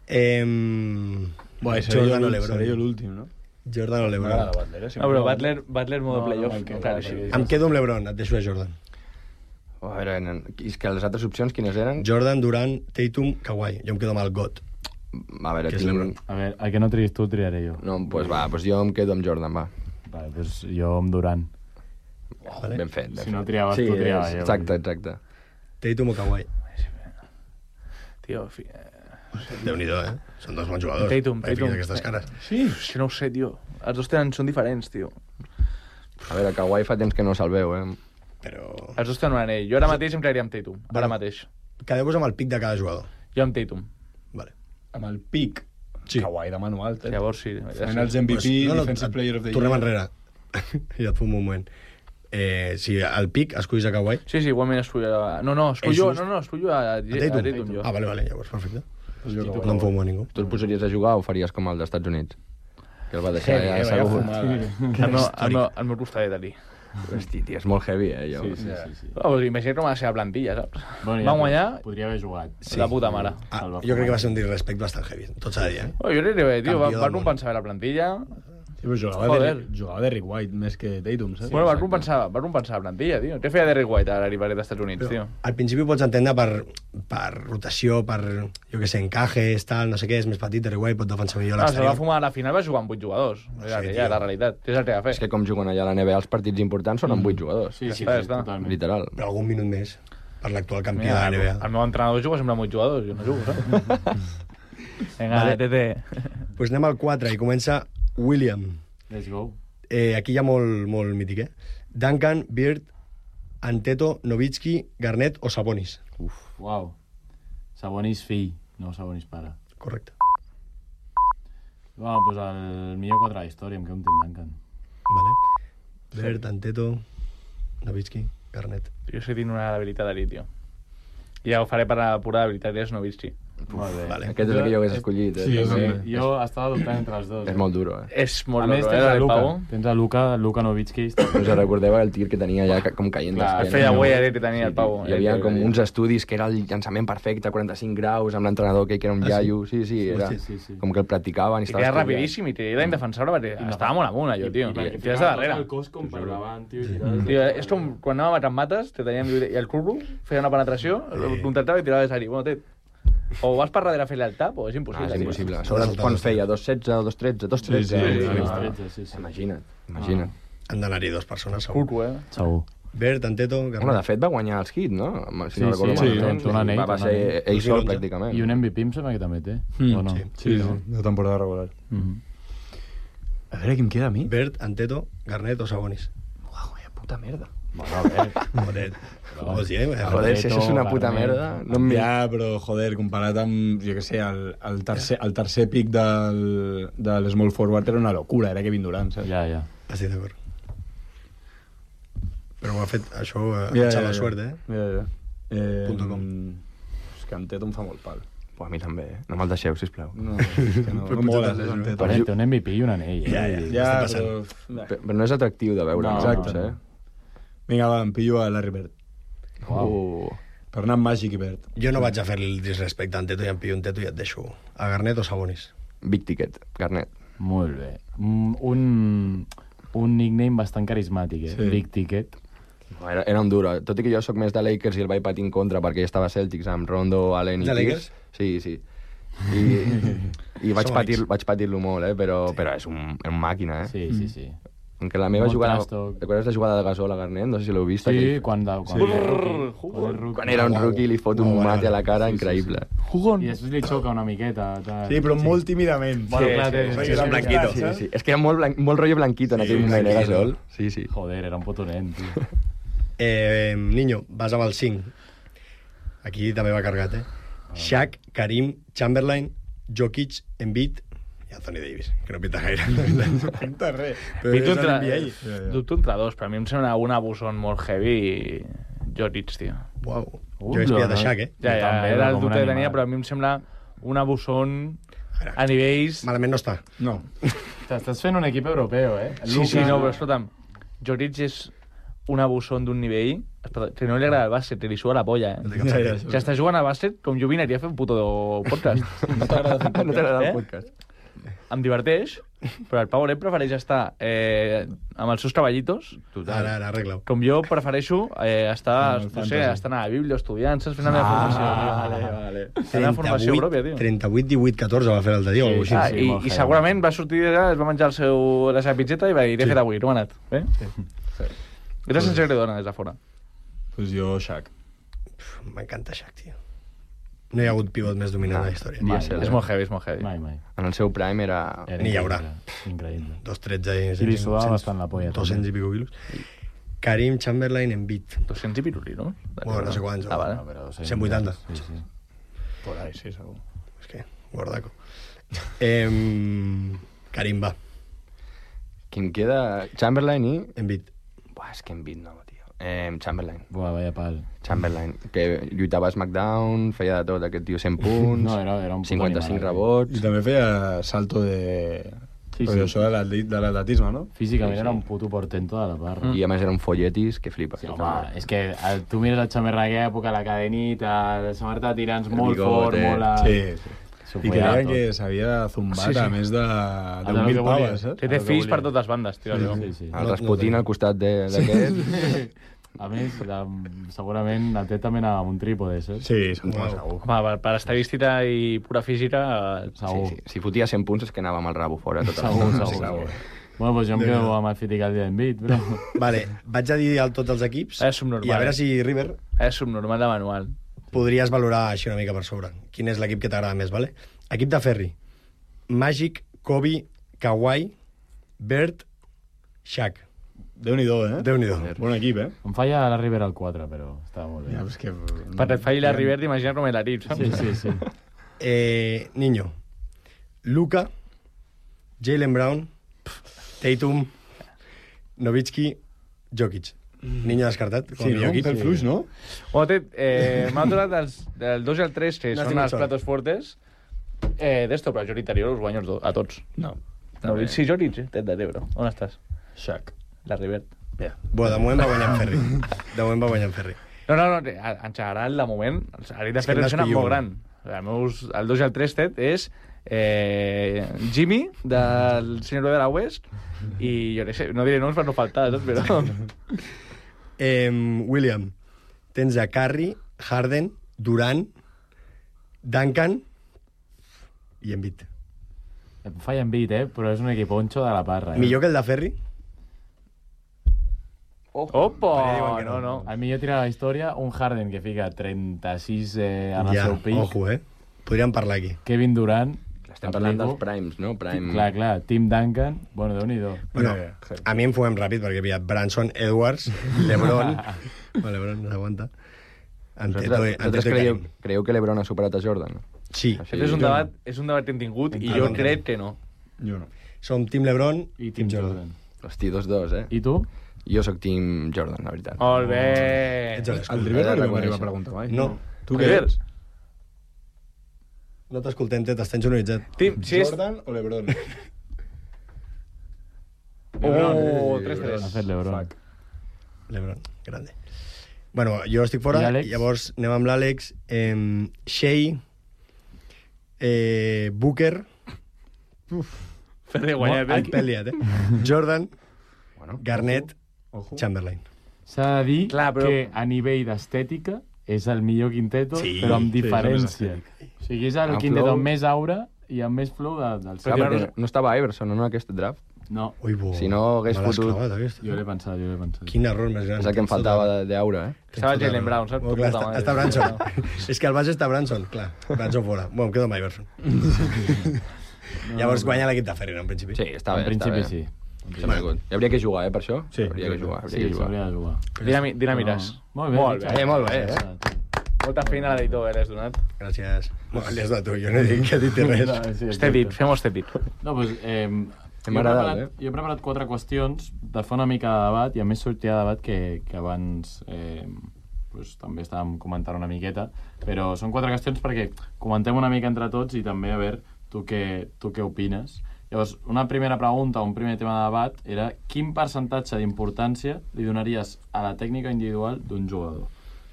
Eh, Bueno, seré Jordan jo o l'ú- LeBron. seré jo l'últim, no? Jordan o LeBron. Butler, eh? No, però Butler, Butler modo No, no, playoff. no, no, Clar, no, sí. no, Em quedo amb LeBron, et deixo a Jordan. A veure, nen, és que les altres opcions quines eren? Jordan, Durant, Tatum, Kawhi. Jo em quedo amb el Got. A veure, Que és tinc... LeBron. A veure, el que no triïs tu, triaré jo. No, doncs pues va, pues jo em quedo amb Jordan, va. Vale, doncs jo amb Durant. Vale. Ben fet, ben Si fet. no triaves sí, tu, triava és- jo. Exacte, exacte. Tatum o Kawhi. Tio, fi... eh, Déu-n'hi-do, eh? Són dos bons jugadors. Tatum, Per què Tatum. fiques aquestes cares. Sí, si no ho sé, tio. Els dos tenen, són diferents, tio. A veure, Kawhi fa temps que no se'l veu, eh? Però... Els dos tenen un anell. Jo ara mateix em quedaria amb Tatum. Ara Bueno. mateix. Quedeu-vos amb el pic de cada jugador. Jo amb Tatum. Vale. Amb el pic. Sí. Kawhi de mano alta. Llavors sí. Ja Finals sí. M V P, Pues, no, no, Defensive Player of the Year. Tornem enrere. I et fumo un moment. Eh, si al pic escullis a Kawhi... Sí, sí, igualment escullo... A... No, no, escullo, És just. no, no, escullo a, a, a Tatum? Tatum, jo. Ah, vale, vale, llavors perfecte. Pues jo No em fumo a ningú. Tu el posaries a jugar o faries com el dels Estats Units? Que el va deixar Heavy, ja eh, segur. fumada. El meu, el meu, el meu costadet allí. Hosti, tia, és molt heavy, eh? Jo. Sí, sí, sí. sí. Oh, pues imagina't com va ser la plantilla, saps? Bueno, Van guanyar Podria haver jugat. sí. La puta mare. Ah, jo crec que va ser un disrespect bastant heavy. Tot s'ha de dir, eh? Oh, jo crec que bé, tio, va, Campió va del món. compensar bé la plantilla. Sí, però jugava, Joder. de, jugava de Rick White més que Tatum, saps? Sí, bueno, va compensar, va compensar la plantilla, tio. Què feia Derrick White a l'Aribaret dels Estats Units, tio? Al principi ho pots entendre per, per rotació, per, jo què sé, encajes, tal, no sé què, és més petit, Derrick White pot defensar millor Ah, se va l'exterior. fumar a la final, va jugar amb vuit jugadors. Era Sí, aquella, tio. la realitat. És el que va fer. És que com juguen allà a la N B A els partits importants són amb vuit jugadors. Sí, sí, sí, Ja està. totalment. Literal. Però algun minut més per l'actual campió Mira, de el, la N B A. el meu entrenador juga sempre amb vuit jugadors, jo no jugo, saps? Vinga, Vale. Tete. Pues anem al quatre i comença William. Let's go. Eh, aquí hi ha molt, molt mític, eh? Duncan, Bird, Anteto, Nowitzki, Garnett o Sabonis. Uf, uau. Sabonis fill, no Sabonis pare. Correcte. Bueno, doncs el millor quatre de la història, em quedo amb Tim Duncan. Vale. Bert, Anteto, Nowitzki, Garnett. Jo sé que tinc una debilitat allí, tio. I ja ho faré per la pura debilitat, és Nowitzki. Molt bé. Vale. Aquest és el que jo hagués escollit. Eh? Sí, sí. Jo estava dubtant entre els dos. És molt duro, eh? És molt a més, duro, tens eh, a el Luka. Pau. Tens a Luka, Luka Nowitzki. Us recordeu el tir que tenia ja com caient Clar, d'esquena? feia guai que tenia el Pau. Hi havia com uns estudis que era el llançament perfecte, quaranta-cinc graus, amb l'entrenador que era un iaio. Sí, sí, era sí, sí, sí. com que el practicaven. I que era rapidíssim i t'he d'indefensar-lo perquè estava molt amunt, allò, tio. I tires de darrere. El cos com per davant, tio. Tio, és com quan anàvem a Mates, te teníem i el curro, feia una penetració, el contractava i tirava de sari. Bueno, té, o vas per darrere a fer-li el tap o és impossible. Ah, és impossible. A sobre quan feia dos setze o dos tretze, dos tretze. Sí, sí. Imagina't, imagina't. Han d'anar-hi dues persones, segur. Curro, eh? Segur. Bert, Anteto, Bueno, de Garnett. fet va guanyar els hits, no? Si Sí, no recordo sí, malament. sí, un anell, Va, va un ser anell. ell sol, pràcticament. I un M V P em sembla que també té. Mm, o no? sí. Sí, sí, de temporada regular. Mhm. A veure, qui em queda a mi? Bert, Anteto, Garnett o Sabonis. Uau, vaya puta merda. Bueno, a veure. Joder. Vols dir, eh? Joder, si això és una puta Garnett. merda... No em... Ja, però, joder, comparat amb, jo què sé, el, el, tercer, el tercer pic del, del small forward era una locura, era Kevin Durant, saps? Ja, ja. Estic d'acord. Però ho ha fet, això, eh, Ja, xala ja, ja. suerte, eh? Ja, ja. Eh, Punto com. És que Anteto em fa molt pal. Pues a mi també, eh? No me'l deixeu, sisplau. No, és que no, no mola, eh, Anteto. Però té un M V P i un anell. Eh? Ja, ja. Ja, Està però... Però, però no és atractiu de veure, No, no, exacte. no, eh? Vinga, va, em pillo a Larry Bird. Uau. Uh, Per anar amb Magic i Bird. Jo no vaig a fer el disrespecte a Anteto i em pillo un Teto i et deixo a Garnett o Sabonis. Big Ticket, Garnett. Molt bé. Mm, Un, un nickname bastant carismàtic, eh? Sí. Big Ticket. Era, era un duro. Tot i que jo sóc més de Lakers i el vaig patir en contra perquè ja estava a Celtics amb Rondo, Allen i De Pierce. Lakers? Sí, sí. I, i vaig Som patir, amics. vaig patir-lo molt, eh? Però, però és un, un màquina, eh? Sí, sí, sí. Aunque la meva Molt jugada... trastoc. Recordes la jugada de Gasol a Garnett? No sé si l'heu vist. Sí, aquell- quan, de, quan, Sí. era rookie, quan, era rookie. Quan era un rookie li fot un Molt mate a la bona. cara Sí, sí, increïble. Jugón. I després li xoca una miqueta. Tal. Sí, però molt tímidament. Bueno, Sí, clar, sí, té- sí, té- sí, té- sí, blanquito. Sí, sí. És que era molt, blanc, molt rotllo blanquito en Sí, aquell moment, eh, blanquito. Gasol? Sí, sí. Joder, era un potonet, tio. Eh, Niño, vas amb el cinc. Aquí també va cargat, eh? Shaq, Karim, Chamberlain, Jokic, Embiid i Anthony Davis, que no pinta gaire. No pinta res. Però Pinto és a l'N B A. entre, dubto entre dos, però a mi em sembla una Buson molt heavy i Jokic, tio. Uau. Uh, Jo he espiat no, a Shaq, eh? Ja, Jo ja, també, era com el un dubte que animal. tenia, però a mi em sembla una Buson a nivells... Malament no està. No. T'estàs fent un equip europeu, eh? Sí, sí, no, però escolta'm, Jokic és una Buson d'un nivell que no li agrada el bàsquet, que li suga la polla, eh? Ja, ja, Si està jugant a bàsquet, com jo vinaria a fer un puto podcast. No t'agrada Eh? el podcast? Em diverteix, però el Pau Olet prefereix estar eh, amb els seus treballitos, Ara, ara, arregla-ho. com jo prefereixo eh, estar, Amb el no sé, fantasy. estar a la Bíblia, estudiant, saps? Fent la meva formació. vale, vale. Fent la formació pròpia, tio. trenta-vuit divuit catorze va fer l'altre dia, o alguna cosa Ah, així. sí, i, molt i heavy. segurament va sortir d'allà, es va menjar el seu, la seva pizzeta i va dir, he fet avui, no m'ha anat. Eh? Sí. Era sense agredona des de fora. Pues jo, Shaq. M'encanta Shaq, tio. No hi ha hagut pivot més dominant de la història. Mai. És molt heavy, és molt heavy. Mai, mai. En el seu prime era... Era Ni hi haurà. increïble, Increïble. dos tretze i... I li sudava bastant la polla, dos cents i pico quilos. Karim, Chamberlain, Embiid. dos-cents i piruli, no? Bueno, no sé quants. Ah, vale. No, però cent vuitanta. Sí, sí. Por ahí, sí, segur. És que, gordaco. Eh, Karim, va. Qui em queda... Chamberlain i... Embiid. Buah, és que Embiid no, tio. Eh, Chamberlain. Buah, vaya pal. Chamberlain, que lluitava a SmackDown, feia de tot, aquest tio cent punts, No, era, era un puto cinquanta-cinc animal, rebots... I també feia salto de... Sí, Sí, sí. Això de l'atleti- de l'atletisme, no? Físicament Sí, sí. era un puto portento de la parra. I a més era un folletis que flipa. Sí, home, és que el, tu mires la xamerra d'aquella època, la cadenita, la samarreta de tirants El molt bigote. fort, molt... a- Sí, sí. S'ho I follava creien tot. que s'havia zumbat Sí, sí. a més de del deu mil que volia. paves, saps? Que té El que fills per volia. totes bandes, tio. allò. Sí, sí. El No- Rasputin no al costat de- d'aquest... A més, la, segurament la té també anava amb un trípode, saps? Sí, segur, Uau. segur. Home, per, per estadística i pura física... eh, Segur. Sí, sí. Si fotia cent punts és que anava amb el rabo fora. Tot Segur, el... segur, segur. Bueno, doncs jo em quedo amb el Fitical d'Envit, però... Vale, vaig a dir el, tots els equips És subnormal. i a veure si, River, És subnormal de manual. podries valorar així una mica per sobre. Quin és l'equip que t'agrada més, vale? Equip de Ferri. Magic, Kobe, Kawhi, Bird, Shaq. Déu-n'hi-do, eh? Déu-n'hi-do. Bon equip, eh? Em falla la Rivera al quatre, però estava molt bé. Ja, és que... Per et falli la Rivert, imagina com l'equip, saps? Sí, sí, sí. Eh, Niño. Luka, Jaylen Brown, Tatum, Nowitzki, Jokic. Niño descartat, com Sí, a no? millor Un equip. pèl fluix, no? Bueno, té, eh, m'ha donat els, el dos i el tres, que No són estic els sol. platos fuertes. Eh, D'esto, però jo l'interior els guanyo els do- a tots. No. No, sí, jo dic, tet de Tebro. On estàs? Shaq. La Rivert. Bueno, de moment va guanyar en Ferri. De moment va guanyar en Ferri. No, no, no, en general, de moment, els Ari de És que Ferrer hem sona d'escollir molt un. gran. El, meus, el dos i el tres, Ted, és eh, Jimmy, del Senyor de la West, i jo no sé, no diré noms per no faltar, saps? Però... Eh, William, tens a Curry, Harden, Durant, Duncan i Embiid. Em falla Embiid, eh? Però és un equiponxo de la parra. Eh? Millor que el de Ferri? Opa! No, no. El millor tira de la història, un Harden que fica trenta-sis eh, en el Ja, seu pic. ojo, eh? Podríem parlar aquí. Kevin Durant. Estem parlant dels primes, no? Prime... Clar, clar. Tim Duncan. Bueno, Déu-n'hi-do. Bueno, a mi em fuguem ràpid, perquè havia Branson, Edwards, LeBron... bueno, LeBron no s'aguanta. Anteto, Vosaltres, Anteto vosaltres i creieu, Karim. creieu que l'Ebron ha superat a Jordan? Sí. Així, Aquest és un jo debat, és un debat que hem tingut i Ah, jo no. crec que no. Jo no. Som Team LeBron I Tim Jordan. no. Hosti, dos dos, eh? I tu? Jo sóc team Jordan, la veritat. Molt bé! Ets a l'escola. El Rivera He de no li va arribar reconèixer. a preguntar mai. No. Tu què River. ets? No t'escoltem, Tet, estàs sonoritzat. Tim, si és... Jordan o LeBron? Oh, tres Ha tres. fet l'Ebron. Fuck. LeBron, grande. Bueno, jo estic fora, I Àlex? llavors anem amb l'Àlex. Eh, Shea, eh, Booker, Ferrer guanyat, el eh? pèl liat, eh? Jordan, Bueno, Garnett, Ojo. Chamberlain. S'ha de dir Clar, però- que a nivell d'estètica és el millor quinteto, Sí, però amb sí, és el més diferència. o sigui, és el Amb quinteto flow. amb més aura i amb més flow de, del clar, seu. perquè no estava Iverson en aquest draft. No, Ui, bo. Si no hagués me l'has fotut- clavat, aquesta. jo l'he pensat, jo l'he pensat. Quin error més gran. És el que em Tens faltava tota- de- d'aura, eh? tens Estava tota Jaylen la Brown, raó. saps? Oh, Tu clar, puta està, madre. està Branson. És que al base està Branson, clar. Branson fora. Bueno, em quedo amb Iverson. No, Llavors no. guanya l'equip de Ferrer, en principi. Sí, està En bé, està principi bé. sí. Està molt gut. Hi hauria que jugar, eh, per això? Sí, hauria que exacte. jugar, hauria Sí, que jugar. s'hauria de jugar. Dinami, dinamires. No. Molt bé. Molt Richard. bé. Eh, molt bé, eh? Molta feina a l'editor, eh, l'has donat. Gràcies. Bueno, li has de tu, jo no he dit que he dit res. No, sí, Este dit, fem este dit. No, doncs, eh, jo, he M'ha agradat, preparat, eh? jo he preparat quatre qüestions de fer una mica de debat i a més sortirà debat que, que abans eh, pues, també estàvem comentant una miqueta, però són quatre qüestions perquè comentem una mica entre tots i també a veure tu què, tu què opines. Llavors, una primera pregunta, un primer tema de debat era quin percentatge d'importància li donaries a la tècnica individual d'un jugador?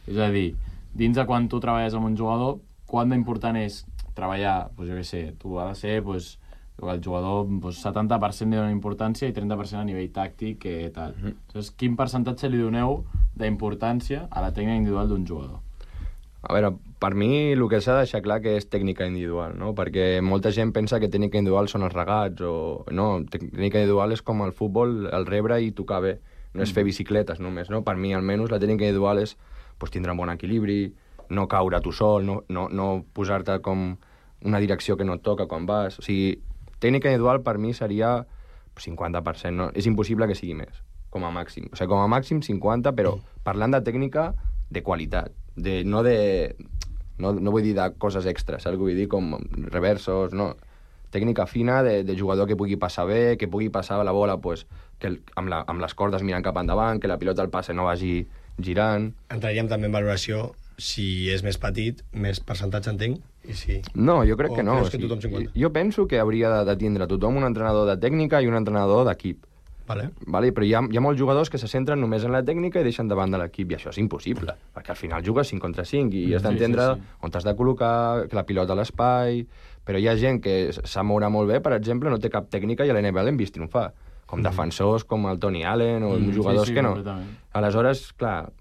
És a dir, dins de quan tu treballes amb un jugador, quant d'important és treballar, doncs jo què sé, tu ha de ser, doncs, el jugador doncs, setanta per cent li dona importància i trenta per cent a nivell tàctic i tal. Mm -hmm. Llavors, quin percentatge li doneu d'importància a la tècnica individual d'un jugador? A veure, per mi el que s'ha de deixar clar que és tècnica individual, no? Perquè molta gent pensa que tècnica individual són els regats o... No, tècnica individual és com el futbol, el rebre i tocar bé. No és fer bicicletes només, no? Per mi, almenys, la tècnica individual és pues, tindre un bon equilibri, no caure tu sol, no, no, no posar-te com una direcció que no et toca quan vas. O sigui, tècnica individual per mi seria cinquanta per cent, no? És impossible que sigui més, com a màxim. O sigui, com a màxim cinquanta, però parlant de tècnica de qualitat, de, no de... No, no vull dir de coses extres, saps? Vull dir com reversos, no. Tècnica fina de, de jugador que pugui passar bé, que pugui passar la bola pues, que el, amb, la, amb les cordes mirant cap endavant, que la pilota al passe no vagi girant. Entraríem també en valoració si és més petit, més percentatge entenc, i si... No, jo crec O que no. creus O que sigui, tothom cinquanta? jo penso que hauria de, de tindre tothom un entrenador de tècnica i un entrenador d'equip. Vale. Vale? Però hi ha, hi ha molts jugadors que se centren només en la tècnica i deixen davant de l'equip, i això és impossible, perquè al final jugues cinc contra cinc i has Sí, d'entendre sí, sí. on t'has de col·locar, que la pilota a l'espai... Però hi ha gent que sap moure molt bé, per exemple, no té cap tècnica i a l'N B A l'hem vist triomfar, com mm. defensors, com el Tony Allen o Mm, mm, jugadors sí, sí, que no. completament. Aleshores, clar,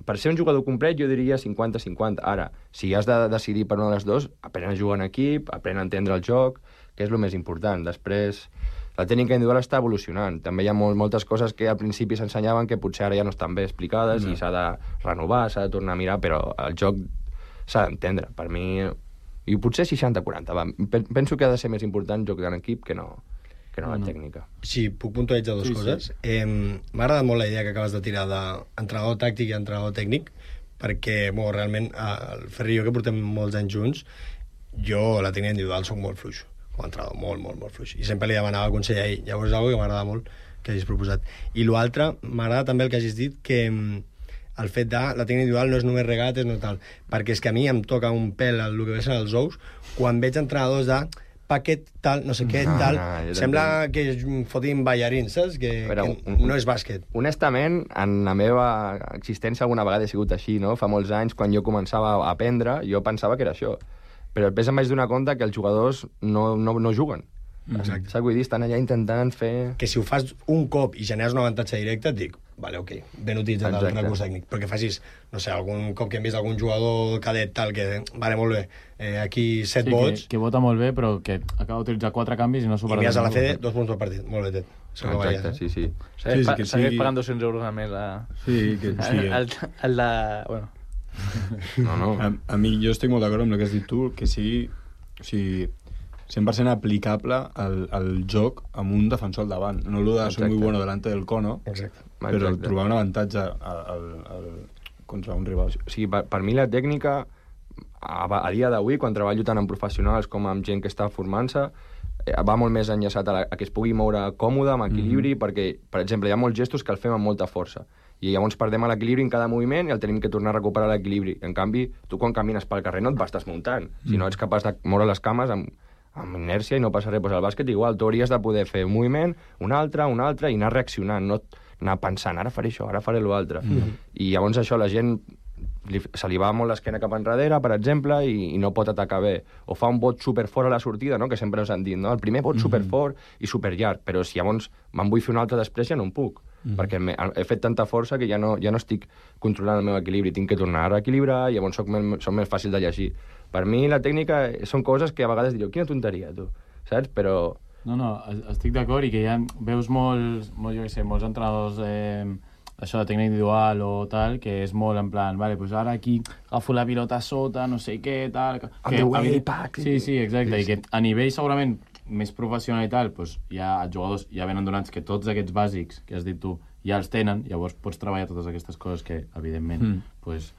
per ser un jugador complet jo diria cinquanta cinquanta. Ara, si has de decidir per una de les dues, aprèn a jugar en equip, aprèn a entendre el joc, que és el més important. Després, la tècnica individual està evolucionant. També hi ha molt, moltes coses que al principi s'ensenyaven que potser ara ja no estan bé explicades No. i s'ha de renovar, s'ha de tornar a mirar, però el joc s'ha d'entendre. Per mi, i potser seixanta quaranta. Va. Pen- Penso que ha de ser més important joc en equip que no, que no la No, no. tècnica. Si puc puntualitzar dues Sí, coses. sí. Eh, M'ha agradat molt la idea que acabes de tirar d'entrenador tàctic i entrenador tècnic, perquè, bueno, realment, eh, el Ferri i jo, que portem molts anys junts, jo la tècnica individual soc molt fluix, com a entrenador, molt, molt, molt fluix. I sempre li demanava consell a ell. Llavors és una cosa que m'agrada molt que hagis proposat. I l'altre, m'agrada també el que hagis dit, que el fet de la tècnica individual no és només regates, no tal, perquè és que a mi em toca un pèl el que són els ous quan veig entrenadors de paquet tal, no sé què, No, tal, no, jo sembla que fotin ballarins, saps? Que, Però, que un- no és bàsquet. Honestament, en la meva existència alguna vegada he sigut així, no? Fa molts anys, quan jo començava a aprendre, jo pensava que era això. Però després em vaig donar compte que els jugadors no, no, no juguen. Exacte. Saps? Vull dir, estan allà intentant fer... Que si ho fas un cop i generes un avantatge directe, et dic, vale, ok, ben utilitzat el Exacte. recurs tècnic. Però que facis, no sé, algun cop que hem vist algun jugador cadet tal, que, vale, molt bé, eh, aquí set Sí, vots, que, que vota molt bé, però que acaba d'utilitzar quatre canvis i no i supera... mires a la ningú. C D, dos punts per partit. Molt bé, Ted. Això que Exacte, veies, sí, sí. Segueix, Sí, sí, pa que segueix sigui- pagant dos-cents euros al mes a... Sí, que sí. El, el de... Bueno, No, no. A, a mi, jo estic molt d'acord amb el que has dit tu, que sigui, o sigui cent per cent aplicable al, al joc amb un defensor al davant. No lo de soy muy Exacte. bueno delante del cono, Exacte. però Exacte. trobar un avantatge al, al, al, contra un rival. O sigui, per, per mi la tècnica, a, a dia d'avui, quan treballo tant amb professionals com amb gent que està formant-se, eh, va molt més enllaçat a, la, a que es pugui moure còmode, amb equilibri, mm -hmm. perquè, per exemple, hi ha molts gestos que el fem amb molta força. I llavors perdem l'equilibri en cada moviment i el tenim que tornar a recuperar l'equilibri. En canvi, tu quan camines pel carrer no et vas desmuntant, mm. sinó ets capaç de moure les cames amb, amb inèrcia i no passa res. Pues al bàsquet igual, tu hauries de poder fer un moviment, un altre, un altre, i anar reaccionant, no anar pensant, ara faré això, ara faré l'altre. Mm. I llavors això, la gent li, se li va molt l'esquena cap enrere, per exemple, i, i no pot atacar bé. O fa un bot superfort a la sortida, no? Que sempre ens han dit, no? El primer bot superfort i superllarg, però si llavors me'n vull fer un altre després ja no en puc. Mm. perquè me, he fet tanta força que ja no, ja no estic controlant el meu equilibri, tinc que tornar a reequilibrar i llavors soc, més, soc més fàcil de llegir. Per mi la tècnica són coses que a vegades diré, quina tonteria, tu, saps? Però... No, no, estic d'acord i que ja veus molts, molt, jo què sé, molts entrenadors eh, això de tècnica individual o tal, que és molt en plan, vale, pues ara aquí agafo la pilota sota, no sé què, tal... Que, On the way, pack. Sí, sí, exacte, i que a nivell segurament més professional i tal, pues, ja els jugadors ja venen donats que tots aquests bàsics que has dit tu ja els tenen, llavors pots treballar totes aquestes coses que, evidentment, mm. pues,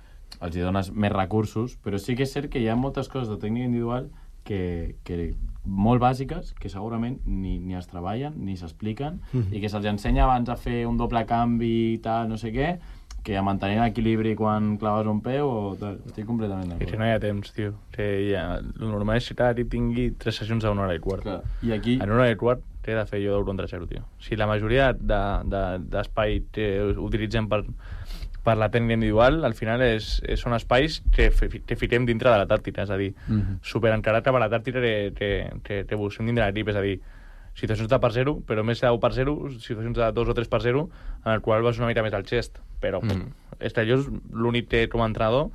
els hi dones més recursos, però sí que és cert que hi ha moltes coses de tècnica individual que, que molt bàsiques, que segurament ni, ni es treballen, ni s'expliquen, mm. i que se'ls ensenya abans a fer un doble canvi i tal, no sé què, que a mantenir l'equilibri quan claves un peu o tal. Estic completament d'acord. és que no hi ha temps, tio. Que ja, el normal és que cada equip tingui tres sessions a una hora i quart. Clar. I aquí... En una hora i quart t'he de fer jo d'euro contra zero, tio. Si la majoria d'espai de, de, que utilitzem per, per la tècnica individual, al final és, és, són espais que, que fiquem dintre de la tàctica, és a dir, mm -hmm. superencarat per la tàctica que, que, que, que busquem dintre de l'equip, és a dir, situacions de per zero, però més de deu per zero, situacions de dos o tres per zero, en el qual vas una mica més al xest. Però mm. és allò és l'únic que, com a entrenador,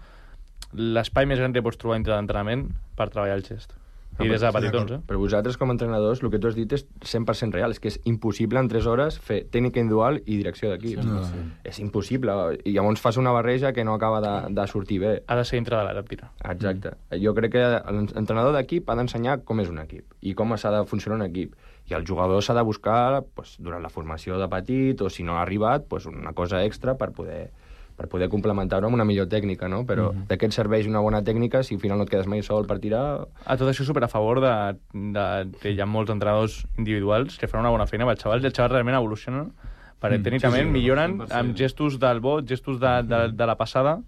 l'espai més gran que pots trobar dintre d'entrenament per treballar el xest. I des de petitons, eh? Però vosaltres, com a entrenadors, el que tu has dit és cent per cent real. És que és impossible en tres hores fer tècnica individual i direcció d'equip. Sí, no, sí. És impossible. I llavors fas una barreja que no acaba de, de sortir bé. Ha de ser dintre de la tàctica. Exacte. Mm. Jo crec que l'entrenador d'equip ha d'ensenyar com és un equip i com s'ha de funcionar un equip. I el jugador s'ha de buscar pues, durant la formació de petit o si no ha arribat pues, una cosa extra per poder per poder complementar-ho amb una millor tècnica, no? Però mm-hmm. de què et serveix una bona tècnica si al final no et quedes mai sol per tirar? A tot això super a favor de, de que hi ha molts entrenadors individuals que fan una bona feina amb els xavals i els xavals realment evolucionen perquè mm, tècnicament sí, sí, milloren cent per cent. Amb gestos del bot, gestos de, de, de la passada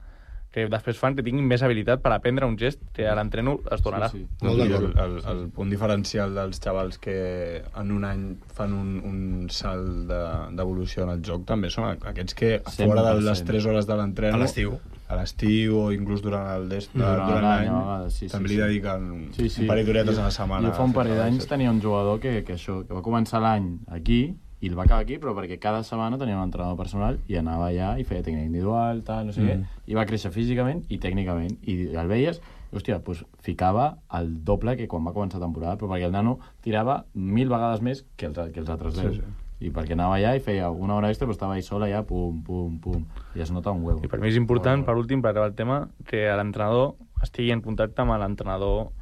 que després fan que tinguin més habilitat per aprendre un gest que a l'entreno es donarà. Sí, sí. No, el, el, el punt diferencial dels xavals que en un any fan un, un salt d'evolució de, en el joc també són aquests que fora de les tres hores de l'entreno, a l'estiu a l'estiu o inclús durant el dest, durant, durant l'any sí, sí, també li dediquen sí, sí. un parell d'horetes a la setmana. Jo fa un parell d'anys tenia un jugador que, que, això, que va començar l'any aquí i el va acabar aquí, però perquè cada setmana tenia un entrenador personal i anava allà i feia tècnica individual, tal, no sé mm. què, i va créixer físicament i tècnicament. I el veies, i, hòstia, pues, ficava el doble que quan va començar la temporada, però perquè el nano tirava mil vegades més que els, que els altres deu. Sí, sí. I perquè anava allà i feia una hora extra, però estava ahí sol allà, pum, pum, pum, i es nota un huevo. I per mi és important, per últim, per acabar el tema, que l'entrenador estigui en contacte amb l'entrenador,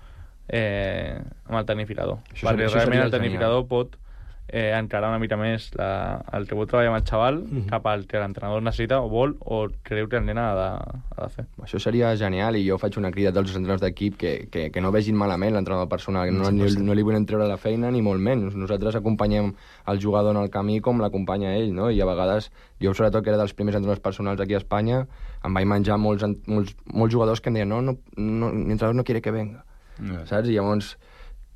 eh, amb el tecnificador. Això perquè realment el tecnificador pot eh, encarar una mica més la, el teu treball amb el xaval Mhm. cap al que l'entrenador necessita o vol o creu que el nen ha de, ha de fer. Això seria genial i jo faig una crida a tots els entrenadors d'equip que, que, que no vegin malament l'entrenador personal, que no, no, no li volem treure la feina ni molt menys. Nosaltres acompanyem el jugador en el camí com l'acompanya ell, no? I a vegades, jo sobretot que era dels primers entrenadors personals aquí a Espanya, em vaig menjar molts, molts, molts jugadors que em deien no, no, no, l'entrenador no quiere que venga, Yeah. saps? I llavors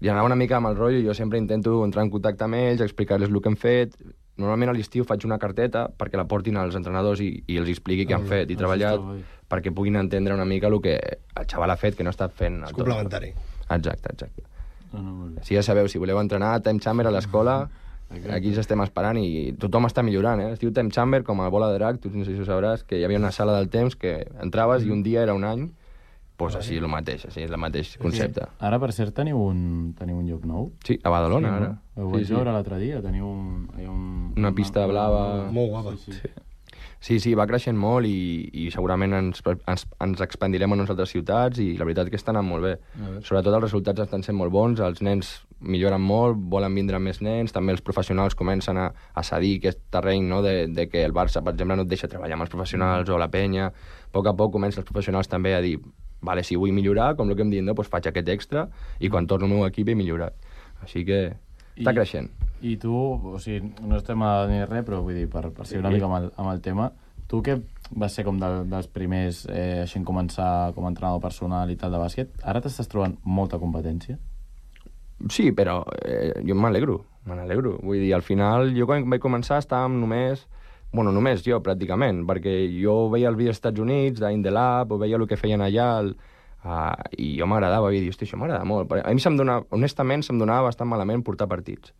i anava una mica amb el rotllo, jo sempre intento entrar en contacte amb ells, explicar-los el que hem fet. Normalment a l'estiu faig una carteta perquè la portin als entrenadors i, i els expliqui què han fet i treballat perquè puguin entendre una mica el que el xaval ha fet, que no ha estat fent. És complementari. Exacte, exacte. No, no, molt bé. Si ja sabeu, si voleu entrenar Time Chamber a l'escola, aquí ens estem esperant i tothom està millorant, eh? Es diu Time Chamber com a bola de drac, tu no sé si ho sabràs, que hi havia una sala del temps que entraves i un dia era un any. Pues així el mateix, així és el mateix concepte. Ara, per cert, teniu un, teniu un lloc nou? Sí, a Badalona, Sí, ara. no? Ho vaig veure l'altre dia, teniu un, hi ha un... Una pista blava. Molt guapa. Sí, sí. Sí, sí, va creixent molt i, i segurament ens, ens, ens expandirem a unes altres ciutats i la veritat que està anant molt bé. Sobretot els resultats estan sent molt bons, els nens milloren molt, volen vindre més nens, també els professionals comencen a, a cedir aquest terreny, no?, de, de que el Barça, per exemple, no et deixa treballar amb els professionals o la penya. A poc a poc comencen els professionals també a dir vale, si vull millorar, com el que em diuen, no, doncs faig aquest extra i quan torno al meu equip he millorat. Així que està I, creixent. I tu, o sigui, no estem a ni res, però vull dir, per, per seguir una mica amb el, amb el tema, tu que vas ser com de, dels primers eh, així en començar com a entrenador personal i tal de bàsquet, ara t'estàs trobant molta competència? Sí, però eh, jo m'alegro, me n'alegro. Vull dir, al final, jo quan vaig començar estàvem només... Bueno, només jo, pràcticament, perquè jo veia el vídeo als Estats Units, d'In The Lab, o veia el que feien allà, el, uh, i jo m'agradava, i dir, hosti, això m'agrada molt. A mi se'm donava, honestament, se'm donava bastant malament portar partits.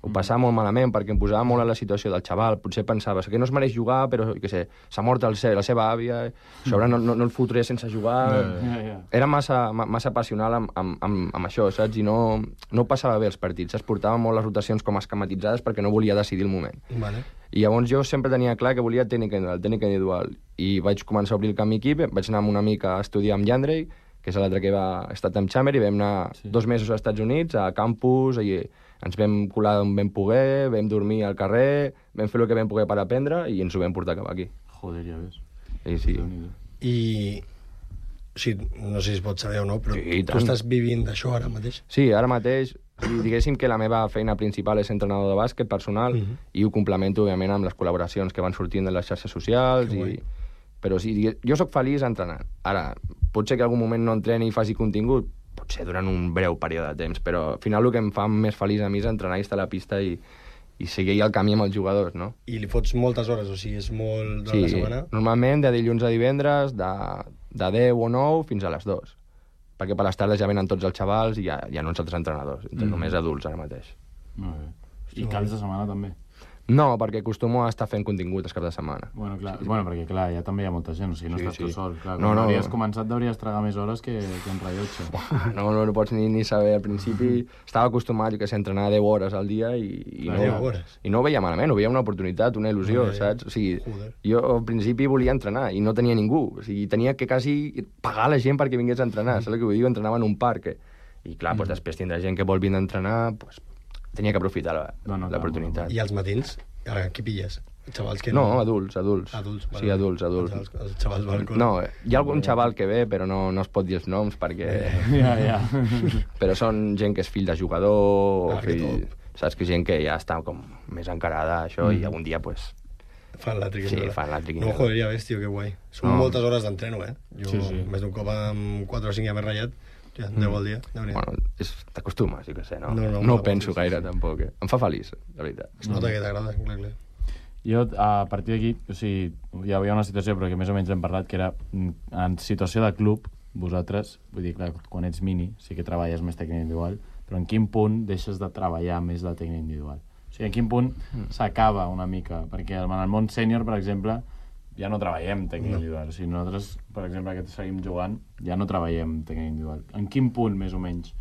Ho passava molt malament perquè em posava molt a la situació del xaval. Potser pensava que no es mereix jugar, però, què sé, s'ha mort el seu, la seva àvia, a sobre no, no, no el fotré sense jugar... Ja, ja. Era massa, ma- massa passional amb, amb, amb, amb això, saps? I no, no passava bé els partits. Es portava molt les rotacions com esquematitzades perquè no volia decidir el moment. Vale. I llavors jo sempre tenia clar que volia tècnica individual, tècnica individual. I vaig començar a obrir el camí aquí, vaig anar amb una mica a estudiar amb Yandrei, que és l'altre que va estar amb Chamber, i vam anar Sí. dos mesos als Estats Units, a campus, i ens vam colar on vam poder, vam dormir al carrer, vam fer el que vam poder per aprendre i ens ho vam portar cap aquí. Joder, ja ves. I sí. Déu-n'hi-do. I... O sigui, no sé si es pot saber o no, però Sí, i tu tant. estàs vivint d'això ara mateix? Sí, ara mateix, o sigui, diguéssim que la meva feina principal és entrenador de bàsquet personal Mhm. i ho complemento, òbviament, amb les col·laboracions que van sortint de les xarxes socials. Que I... guai. Però sí, digue- jo sóc feliç entrenant. Ara, pot ser que algun moment no entreni i faci contingut, potser durant un breu període de temps, però al final el que em fa més feliç a mi és entrenar i estar a la pista i, i seguir el camí amb els jugadors, no? I li fots moltes hores, o sigui, és molt de Sí, la setmana? normalment de dilluns a divendres, de, de deu o nou fins a les dues. Perquè per les tardes ja venen tots els xavals i hi ha, hi ha uns altres entrenadors, mm. només adults ara mateix. Molt bé. I caps de setmana també? No, perquè acostumo a estar fent contingut els caps de setmana. Bueno, clar, sí. bueno, perquè clar, ja també hi ha molta gent, o sigui, no Sí, estàs sí. tu sol. Clar, No, quan no. hauries començat hauries tragar més hores que, que en rellotge. No, no, no pots ni, ni saber. Al principi estava acostumat, jo que sé, a entrenar deu hores al dia i, i, Clar, no, deu hores. i no ho veia malament, ho veia una oportunitat, una il·lusió, Joder. saps? O sigui, Joder. jo al principi volia entrenar i no tenia ningú. O sigui, tenia que quasi pagar a la gent perquè vingués a entrenar. Saps el que vull dir? Entrenava en un parc. eh? I clar, doncs, després tindrà gent que vol vindre a entrenar, doncs, tenia que aprofitar la- No, no, clar, l'oportunitat. I als matins? Ara, qui pilles? Xavals que No, adults, adults. Adults, Sí, adults, adults. Els, els xavals van col·le. No, eh, hi ha algun xaval que ve, però no, no es pot dir els noms perquè... Ja, ja. Però són gent que és fill de jugador, Ah, o que fill... Saps que gent que ja està com més encarada a això Mm. i algun dia, pues, Fan la triquina. sí, fan la triquina. No, joder, ja ves, tio, que guai. Són No. moltes hores d'entreno, eh? Jo, Sí, sí. més d'un cop amb quatre o cinc ja m'he ratllat. Ja, deu al dia. Déu-n'hi-do. Bueno, és- t'acostumes, jo què sé, no? No, no, no, no, ho penso sí, gaire, sí. tampoc. Eh? Em fa feliç, la veritat. Es nota que t'agrada, clar, clar. Jo, a partir d'aquí, o sigui, hi havia una situació, però que més o menys hem parlat, que era mm, en situació de club, vosaltres, vull dir, clar, quan ets mini, sí que treballes més tècnica individual, però en quin punt deixes de treballar més la tècnica individual? O sigui, en quin punt s'acaba una mica? Perquè en el món sènior, per exemple, ja no treballem tècnica individual. O sigui, nosaltres, per exemple, que seguim jugant, ja no treballem tècnica individual. En quin punt, més o menys,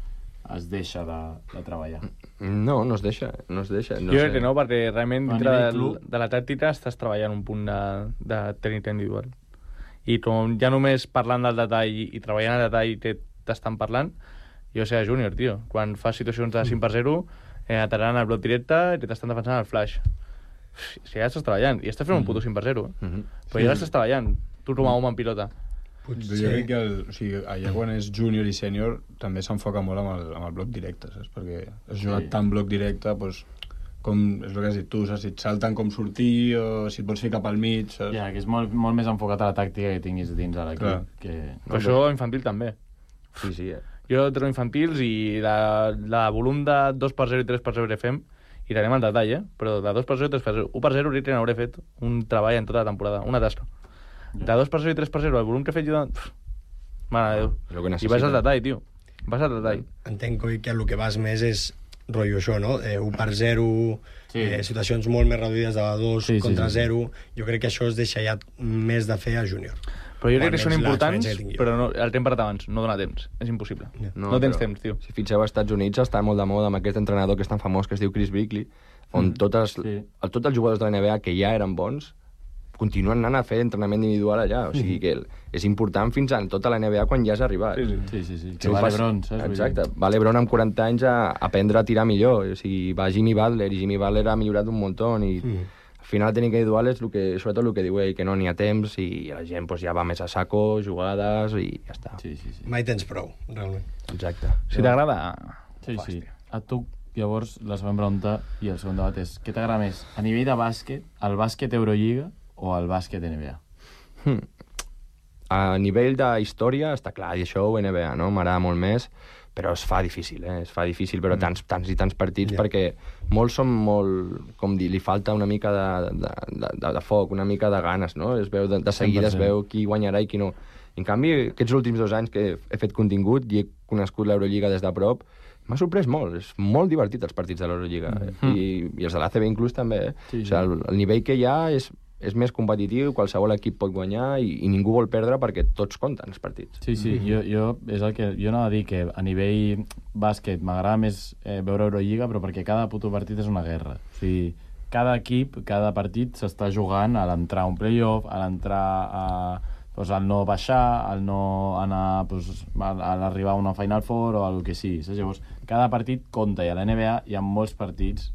es deixa de, de treballar? No, no es deixa, no es deixa. No Jo sé. crec que no, perquè realment A dintre nivell del, club. de la tàctica estàs treballant un punt de, de tècnica individual. I com ja només parlant del detall i treballant el detall que t'estan parlant, jo sé a júnior, tio, quan fas situacions de cinc per zero, eh, atacaran el bloc directe i t'estan defensant el flash. Si ja estàs treballant, i estàs fent un puto cinc per zero, eh? Mhm. Però ja estàs treballant, tu com a home en pilota. Potser... Jo crec que el, o sigui, allà quan és júnior i sènior també s'enfoca molt amb el, amb el bloc directe, saps? Perquè has jugat Sí. tant bloc directe, doncs, com és el que has dit tu, saps? Si et salten com sortir o si et vols ficar pel mig, saps? Ja, que és molt, molt més enfocat a la tàctica que tinguis dins a Clar. l'equip. Que... Però això infantil també. Sí, sí, eh? Jo treballo infantils i la, la volum de dos per zero i tres per zero que fem, i anem al detall, eh? Però de dos per zero i tres per zero. u per zero ahorita n'hauré fet un treball en tota la temporada, una tasca. De dos per zero i tres per zero, el volum que he fet jo... De... Pff, mare de Déu. Lo que I necessita. vas al detall, tio. Vas al detall. Entenc coi, que el que vas més és rotllo això, no? Eh, u per zero, Sí. eh, situacions molt més reduïdes de dos Sí, sí, contra sí, sí. zero. Jo crec que això es deixa ja més de fer a júnior. Però jo crec Bueno, que són és importants, l'experiència que tinc jo. però no, el temps per abans, no dona temps. És impossible. Ja. No, no tens però temps, tio. Si fixeu, als Estats Units està molt de moda amb aquest entrenador que és tan famós, que es diu Chris Brickley, on totes, sí. el, tots els jugadors de la N B A que ja eren bons continuen anant a fer entrenament individual allà. O sigui que el, és important fins a tota la N B A quan ja has arribat. Sí, sí. Sí, sí, sí. Sí, Que va pas- l'Ebron, saps? Vull dir- Exacte. Va l'Ebron amb quaranta anys a aprendre a tirar millor. O sigui, va Jimmy Butler, i Jimmy Butler ha millorat un muntó. I Mm. al final, tenir individual és el que, sobretot el que diu ell, que no n'hi ha temps i la gent pues, ja va més a saco, jugades i ja està. Sí, sí, sí. Mai tens prou, realment. Exacte. Si t'agrada... Sí, ho fas, sí. tio. A tu, llavors, la següent pregunta i el segon debat és què t'agrada més? A nivell de bàsquet, el bàsquet Eurolliga o el bàsquet N B A? Hmm. A nivell de història, està clar, i això ho N B A, no? M'agrada molt més, però es fa difícil, eh? Es fa difícil, però tants, tants i tants partits, Ja. perquè molts són molt, com dir, li falta una mica de, de, de, de foc, una mica de ganes, no? Es veu, de, de seguida es cent per cent. veu qui guanyarà i qui no. En canvi, aquests últims dos anys que he fet contingut i he conegut l'Eurolliga des de prop, m'ha sorprès molt. És molt divertit els partits de l'Eurolliga. Mm. I, I els de l'A C B inclús també, eh? Sí, sí. O sigui, el, el nivell que hi ha és, és més competitiu, qualsevol equip pot guanyar i, i ningú vol perdre perquè tots compten els partits. Sí, sí, jo, jo, és el que, jo anava a dir que a nivell bàsquet m'agrada més eh, veure Eurolliga, però perquè cada puto partit és una guerra. O sigui, cada equip, cada partit s'està jugant a l'entrar a un playoff, a l'entrar a... Pues, al no baixar, al no anar pues, a, a l'arribar a una Final Four o el que sigui. Saps? Llavors, cada partit compta, i a la N B A hi ha molts partits,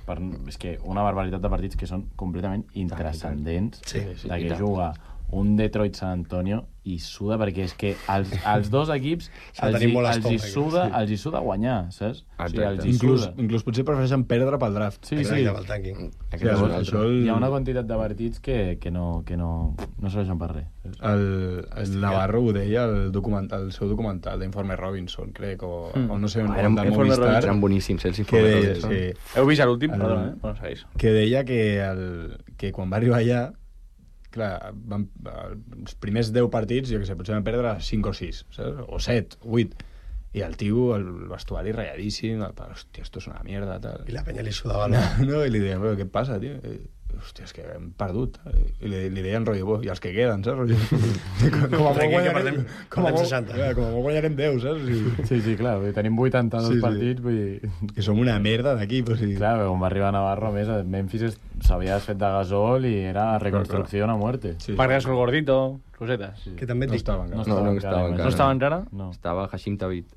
per, és que una barbaritat de partits que són completament intrascendents, Sí, sí, de i que tant. juga un Detroit San Antonio i suda, perquè és que els, els dos equips S'ha de els, tenir hi, molt els, hi estómac, suda, sí. els hi suda guanyar, saps? O sigui, els hi Inclús, suda. inclús potser prefereixen perdre pel draft. Sí, sí. Exacte, pel tanking. Aquest Sí, és un això, altre. el, Hi ha una quantitat de partits que, que, no, que no, no serveixen per res. saps? el, el Navarro ho deia el, documental, el seu documental d'Informe Robinson, crec, o, Mm. o no sé, Ah, on, eren, del eren, Movistar, eren boníssims, eh, els que informes. deia, Robinson. sí, Heu vist l'últim? El- Perdona, eh? Bueno, segueix. que deia que, el, que quan va arribar allà, clar, van, els primers deu partits, jo què sé, potser van perdre cinc o sis, saps? O set, vuit. I el tio, el vestuari ratlladíssim, el, hòstia, esto és una mierda, tal. I la penya li sudava No, la... no, i li deia, però què et passa, tio? I, hòstia, és que hem perdut. I li, li deien, rotllo, bo, i els que queden, saps? Rotllo, com, com a Perquè molt que guanyarem, perdem- com a perdem molt, seixanta. clar, com a molt guanyarem deu, saps? I, Sí, sí, clar, vull dir, tenim vuitanta-dos Sí, sí. partits, vull dir... que som una merda d'equip, o sigui... Clar, quan va arribar Navarro, a més, a Memphis es- s'havia desfet de gasol i era reconstrucció a muerte. Sí, Parques el gordito, cosetes. Que també et no dic, estava encara. No, no estava encara. No estava encara? No. Estava Hashim Thabit,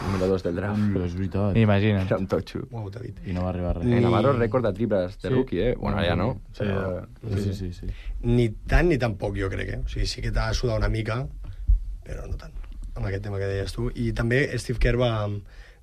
número dos del draft. Ui, és veritat. Imagina't. Era un totxo. uau, David. I no va arribar res. Eh, Ni- Navarro rècord de triples de Sí. rookie, eh? Bueno, ara ja no. Sí, Però... ja- Sí, sí, sí. sí. Ni tant ni tan poc, jo crec, eh? O sigui, sí que t'ha de sudar una mica, però no tant, amb aquest tema que deies tu. I també Steve Kerr va,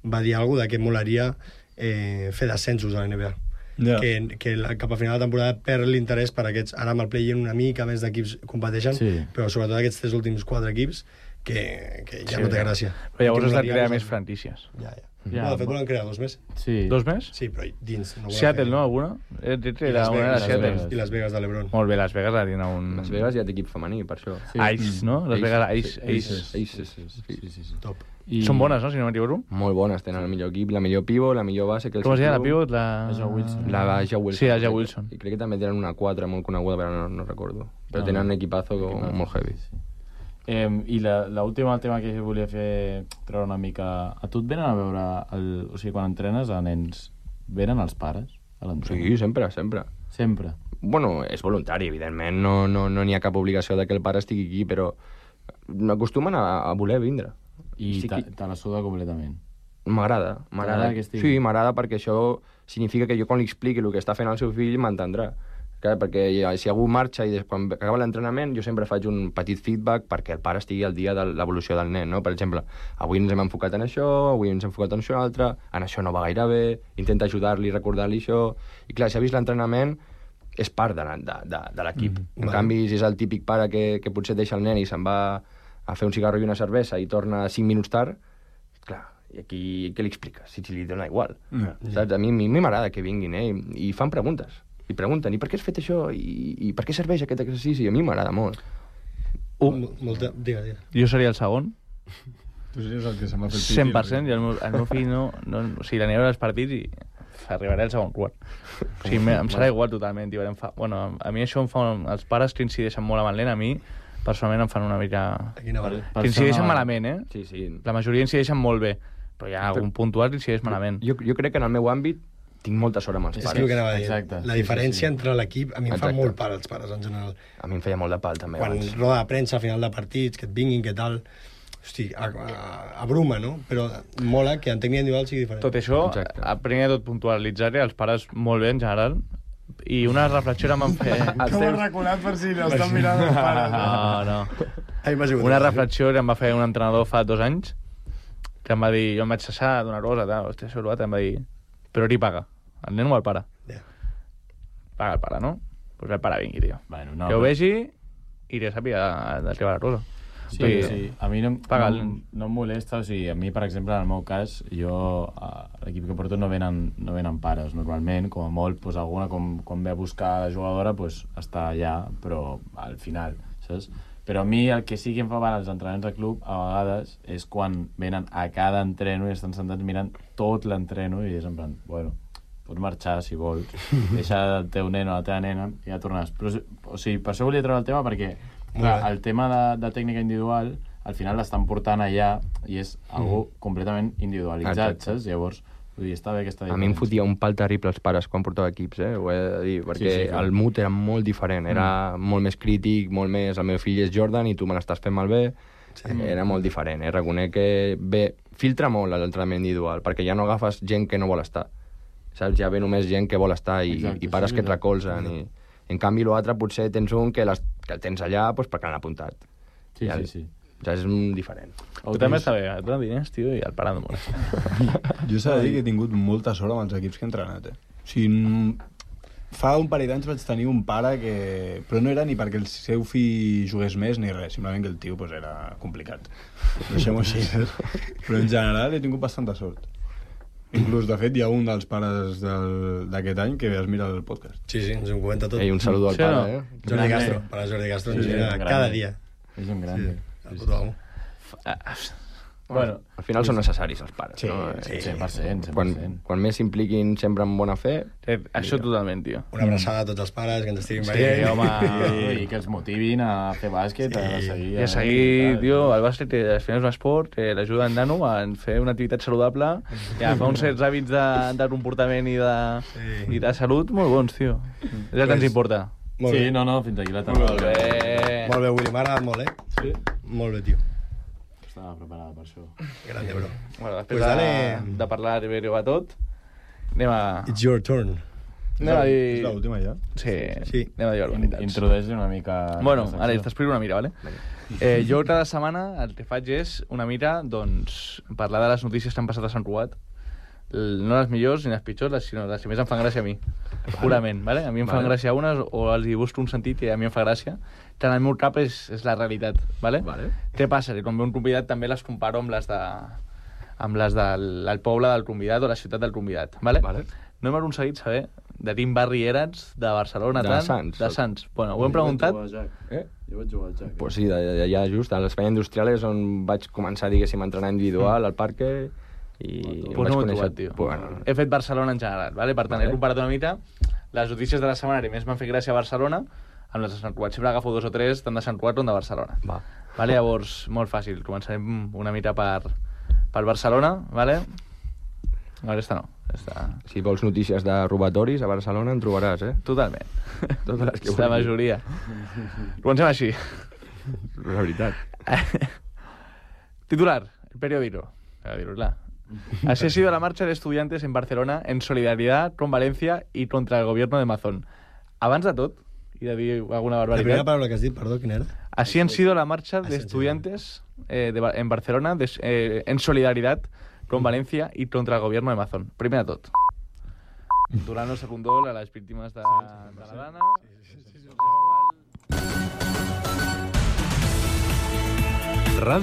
va dir alguna cosa de que molaria eh, fer descensos a la N B A. Ja. Que, que la, cap a final de temporada perd l'interès per aquests... Ara amb el play-in una mica més d'equips competeixen, Sí. però sobretot aquests tres últims quatre equips que, que ja Sí, no té ja. gràcia. Però llavors Que has de molaria crear posar- més franquícies. Ja, ja. Ja, no, de fet, bo- volen crear dos més. Sí. Dos més? Sí, però dins. No volen Seattle, fer- no? Alguna? Eh, I Era Las una era Vegas, Seattle. Vegas. I Las Vegas de l'Ebron. Molt bé, Las Vegas ha tingut un... Las Vegas ja té equip femení, per això. Sí. Ice, no? Las Ace, Vegas Ice. sí, Ace. Aces. Aces, Sí, sí. sí, sí, sí. Top. I... Són bones, no? Si no m'equivoco. Molt bones, tenen el millor equip, la millor pivot, la millor base... Que el Com es deia la seu pivot? La... La Jo Wilson. La Ja Wilson. Sí, la Ja Wilson. I crec que també tenen una quatre molt coneguda, però no, no recordo. Però No, tenen no. un equipazo com molt heavy. Sí. Eh, I l'última tema que volia fer, treure una mica... A tu et venen a veure... El... O sigui, quan entrenes a nens, venen els pares a l'entrenament? Sí, sempre, sempre. Sempre. Bueno, és voluntari, evidentment, no n'hi no, no n'hi ha cap obligació de que el pare estigui aquí, però m'acostumen a, a voler vindre. I Sí te, que- te la suda completament. M'agrada, m'agrada. Sí, m'agrada perquè això significa que jo quan li expliqui el que està fent el seu fill m'entendrà. Clar, perquè si algú marxa i quan acaba l'entrenament jo sempre faig un petit feedback perquè el pare estigui al dia de l'evolució del nen, no? Per exemple, avui ens hem enfocat en això, avui ens hem enfocat en això altre, en això no va gaire bé, intenta ajudar-li, recordar-li això... I clar, si ha vist l'entrenament, és part de, de, de, de l'equip. Mm, en vale. canvi, si és el típic pare que, que potser deixa el nen i se'n va a fer un cigarro i una cervesa i torna cinc minuts tard, clar, i aquí què li expliques? Si li dona igual. Mm. Saps? A mi m'agrada que vinguin, eh? I, i fan preguntes. I pregunten, i per què has fet això? I, i per què serveix aquest exercici? A mi m'agrada molt. Uh, Molta... Digue, digue. Jo seria el segon. Tu series el que se'm va fer el piti. cent per cent, i el meu, el meu fill no, no... O sigui, l'aniré als partits i arribaré al segon quart. O sigui, em serà igual totalment. Tio, em fa... Bueno, a mi això em fa... Els pares que incideixen molt amb el nen, a mi, personalment, em fan una mica... Que incideixen malament, eh? Sí, sí. La majoria incideixen molt bé, però hi ha algun puntual que incideix malament. Jo, jo crec que en el meu àmbit tinc molta sort amb els pares. És que anava a dir. Exacte. La diferència sí, sí, sí. entre l'equip, a mi em Exacte. fa molt pal els pares, en general. A mi em feia molt de pal, també. Quan abans. Roda de premsa, a final de partits, que et vinguin, que tal... Hosti, a, a, a bruma, no? Però mola que en tècnica individual sigui diferent. Tot això, Exacte. a primer de tot puntualitzar-hi, els pares molt bé, en general, i una reflexió em van fer... Com has reculat per si no estan mirant els pares? No, no. Ai, una reflexió que em va fer un entrenador fa dos anys, que em va dir, jo em vaig cessar d'una cosa, tal, hòstia, soluat, em va dir, però qui paga? El nen o el pare? Yeah. Paga el pare, no? Doncs pues el pare vingui, tio. Bueno, no, que ho vegi i ja sàpiga de què va la cosa. Sí, sí, sí. A mi no, no, no em molesta, o sigui, a mi, per exemple, en el meu cas, jo, a l'equip que porto no venen, no venen pares, normalment, com a molt, pues, alguna, com, quan ve a buscar la jugadora, pues, està allà, però al final, saps? Però a mi el que sí que em fa mal als entrenaments de club, a vegades, és quan venen a cada entreno i estan sentats mirant tot l'entreno i és en plan, bueno, pots marxar si vols, deixa el teu nen o la teva nena i ja tornes. Però, o sigui, per això volia treure el tema perquè clar, el tema de, de tècnica individual al final l'estan portant allà i és algo mm. completament individualitzat, saps? Llavors, vull dir, està bé aquesta diferència. A mi em fotia un pal terrible els pares quan portava equips, eh? Ho he de dir, perquè sí, sí, el mood era molt diferent, era mm. molt més crític, molt més... El meu fill és Jordan i tu me l'estàs fent malbé. Sí. Era molt diferent, eh? Reconec que bé, filtra molt l'entrenament individual, perquè ja no agafes gent que no vol estar. Saps? Ja ve només gent que vol estar i, Exacte, i pares sí, que et recolzen. I, en canvi, l'altre potser tens un que, les, que el tens allà pues, perquè l'han apuntat. Sí, ja, sí, sí. Ja és diferent. Tu també està bé, et donen diners, tio, i el pare no molesta. Jo s'ha de dir que he tingut molta sort amb els equips que he entrenat, eh? O sigui, fa un parell d'anys vaig tenir un pare que... Però no era ni perquè el seu fill jugués més ni res, simplement que el tio pues, era complicat. Deixem-ho així. Però en general he tingut bastanta sort. Inclús, de fet, hi ha un dels pares d'aquest any que es mira el podcast. Sí, sí, ens ho comenta tot. Ei, un saludo al sí, pare, no? eh? Jordi Castro, para Jordi Castro, ens sí, mira cada dia. És un gran. Sí, el puto amo. Bueno, al final són necessaris els pares, sí, no? Sí, cent per cent, cent per cent. Quan, quan més s'impliquin sempre en bona fe... Eh, això totalment, tio. Una abraçada a tots els pares que ens estiguin sí, veient. Sí, home, i que els motivin a fer bàsquet, sí. a seguir... I a seguir, tio, el bàsquet al final és un esport, que l'ajuda en nano a fer una activitat saludable, i a fer uns certs hàbits de, de comportament i de, sí. i de salut molt bons, tio. És el que ens importa. Sí, bé. no, no, fins aquí la tarda. Molt bé. Molt bé, Willy, m'ha agradat molt, eh? Sí. Molt bé, tio. Estava preparada per això. Grande, bro. Bueno, després pues dale... de, de parlar de Ribeiro a tot, anem a... It's your turn. Anem a dir... És l'última ja? Sí, sí. Anem a dir urbanitats. Introdueix una mica... Bueno, ara t'explico una mica, vale? Eh, jo cada setmana el que faig és una mica, doncs, parlar de les notícies que han passat a Sant Cugat. No les millors ni les pitjors, sinó les que més em fan gràcia a mi. Purament, vale? A mi em fan vale. gràcia unes o els hi busco un sentit i a mi em fa gràcia. Que en el meu cap és, és la realitat, vale? Vale. Què passa? Que quan ve un convidat també les comparo amb les de amb les del, del poble del convidat o la ciutat del convidat, vale? Vale. No hem aconseguit saber de quin barri eres, de Barcelona, de tant, Sants. De Sants. Bueno, ho hem preguntat. Eh? Jo vaig jugar al Jack. Pues sí, allà just, a l'Espai Industrial és on vaig començar, diguéssim, a entrenar individual, al parque, i pues vaig no conèixer... Trobat, tio. Bueno. He fet Barcelona en general, vale? Per tant, vale. He comparat una mica les notícies de la setmana que més m'han fet gràcia a Barcelona amb les de Sant Cugat. Sempre agafo dos o tres, tant de Sant Cugat com de Barcelona. Va. Vale? Llavors, molt fàcil. Començarem una mica per, per Barcelona, vale? A veure, esta no. Esta... Si vols notícies de robatoris a Barcelona en trobaràs, eh? Totalment. Totes les que la majoria. Comencem així. La veritat. Titular, el periodismo. A dir-ho clar. Así ha sido la marcha de estudiantes en Barcelona en solidaridad con Valencia y contra el gobierno de Mazón. Abans de tot, i de dir alguna La barbaritat... primera paraula que has dit, perdó, quina era? Así han sido la marcha de estudiantes eh, de, en Barcelona de, eh, en solidaridad con Valencia y contra el gobierno de Mazón. Primer de tot. Donant el segon dol a les víctimes de, de la Dana. Sí, sí, sí, sí, sí, sí.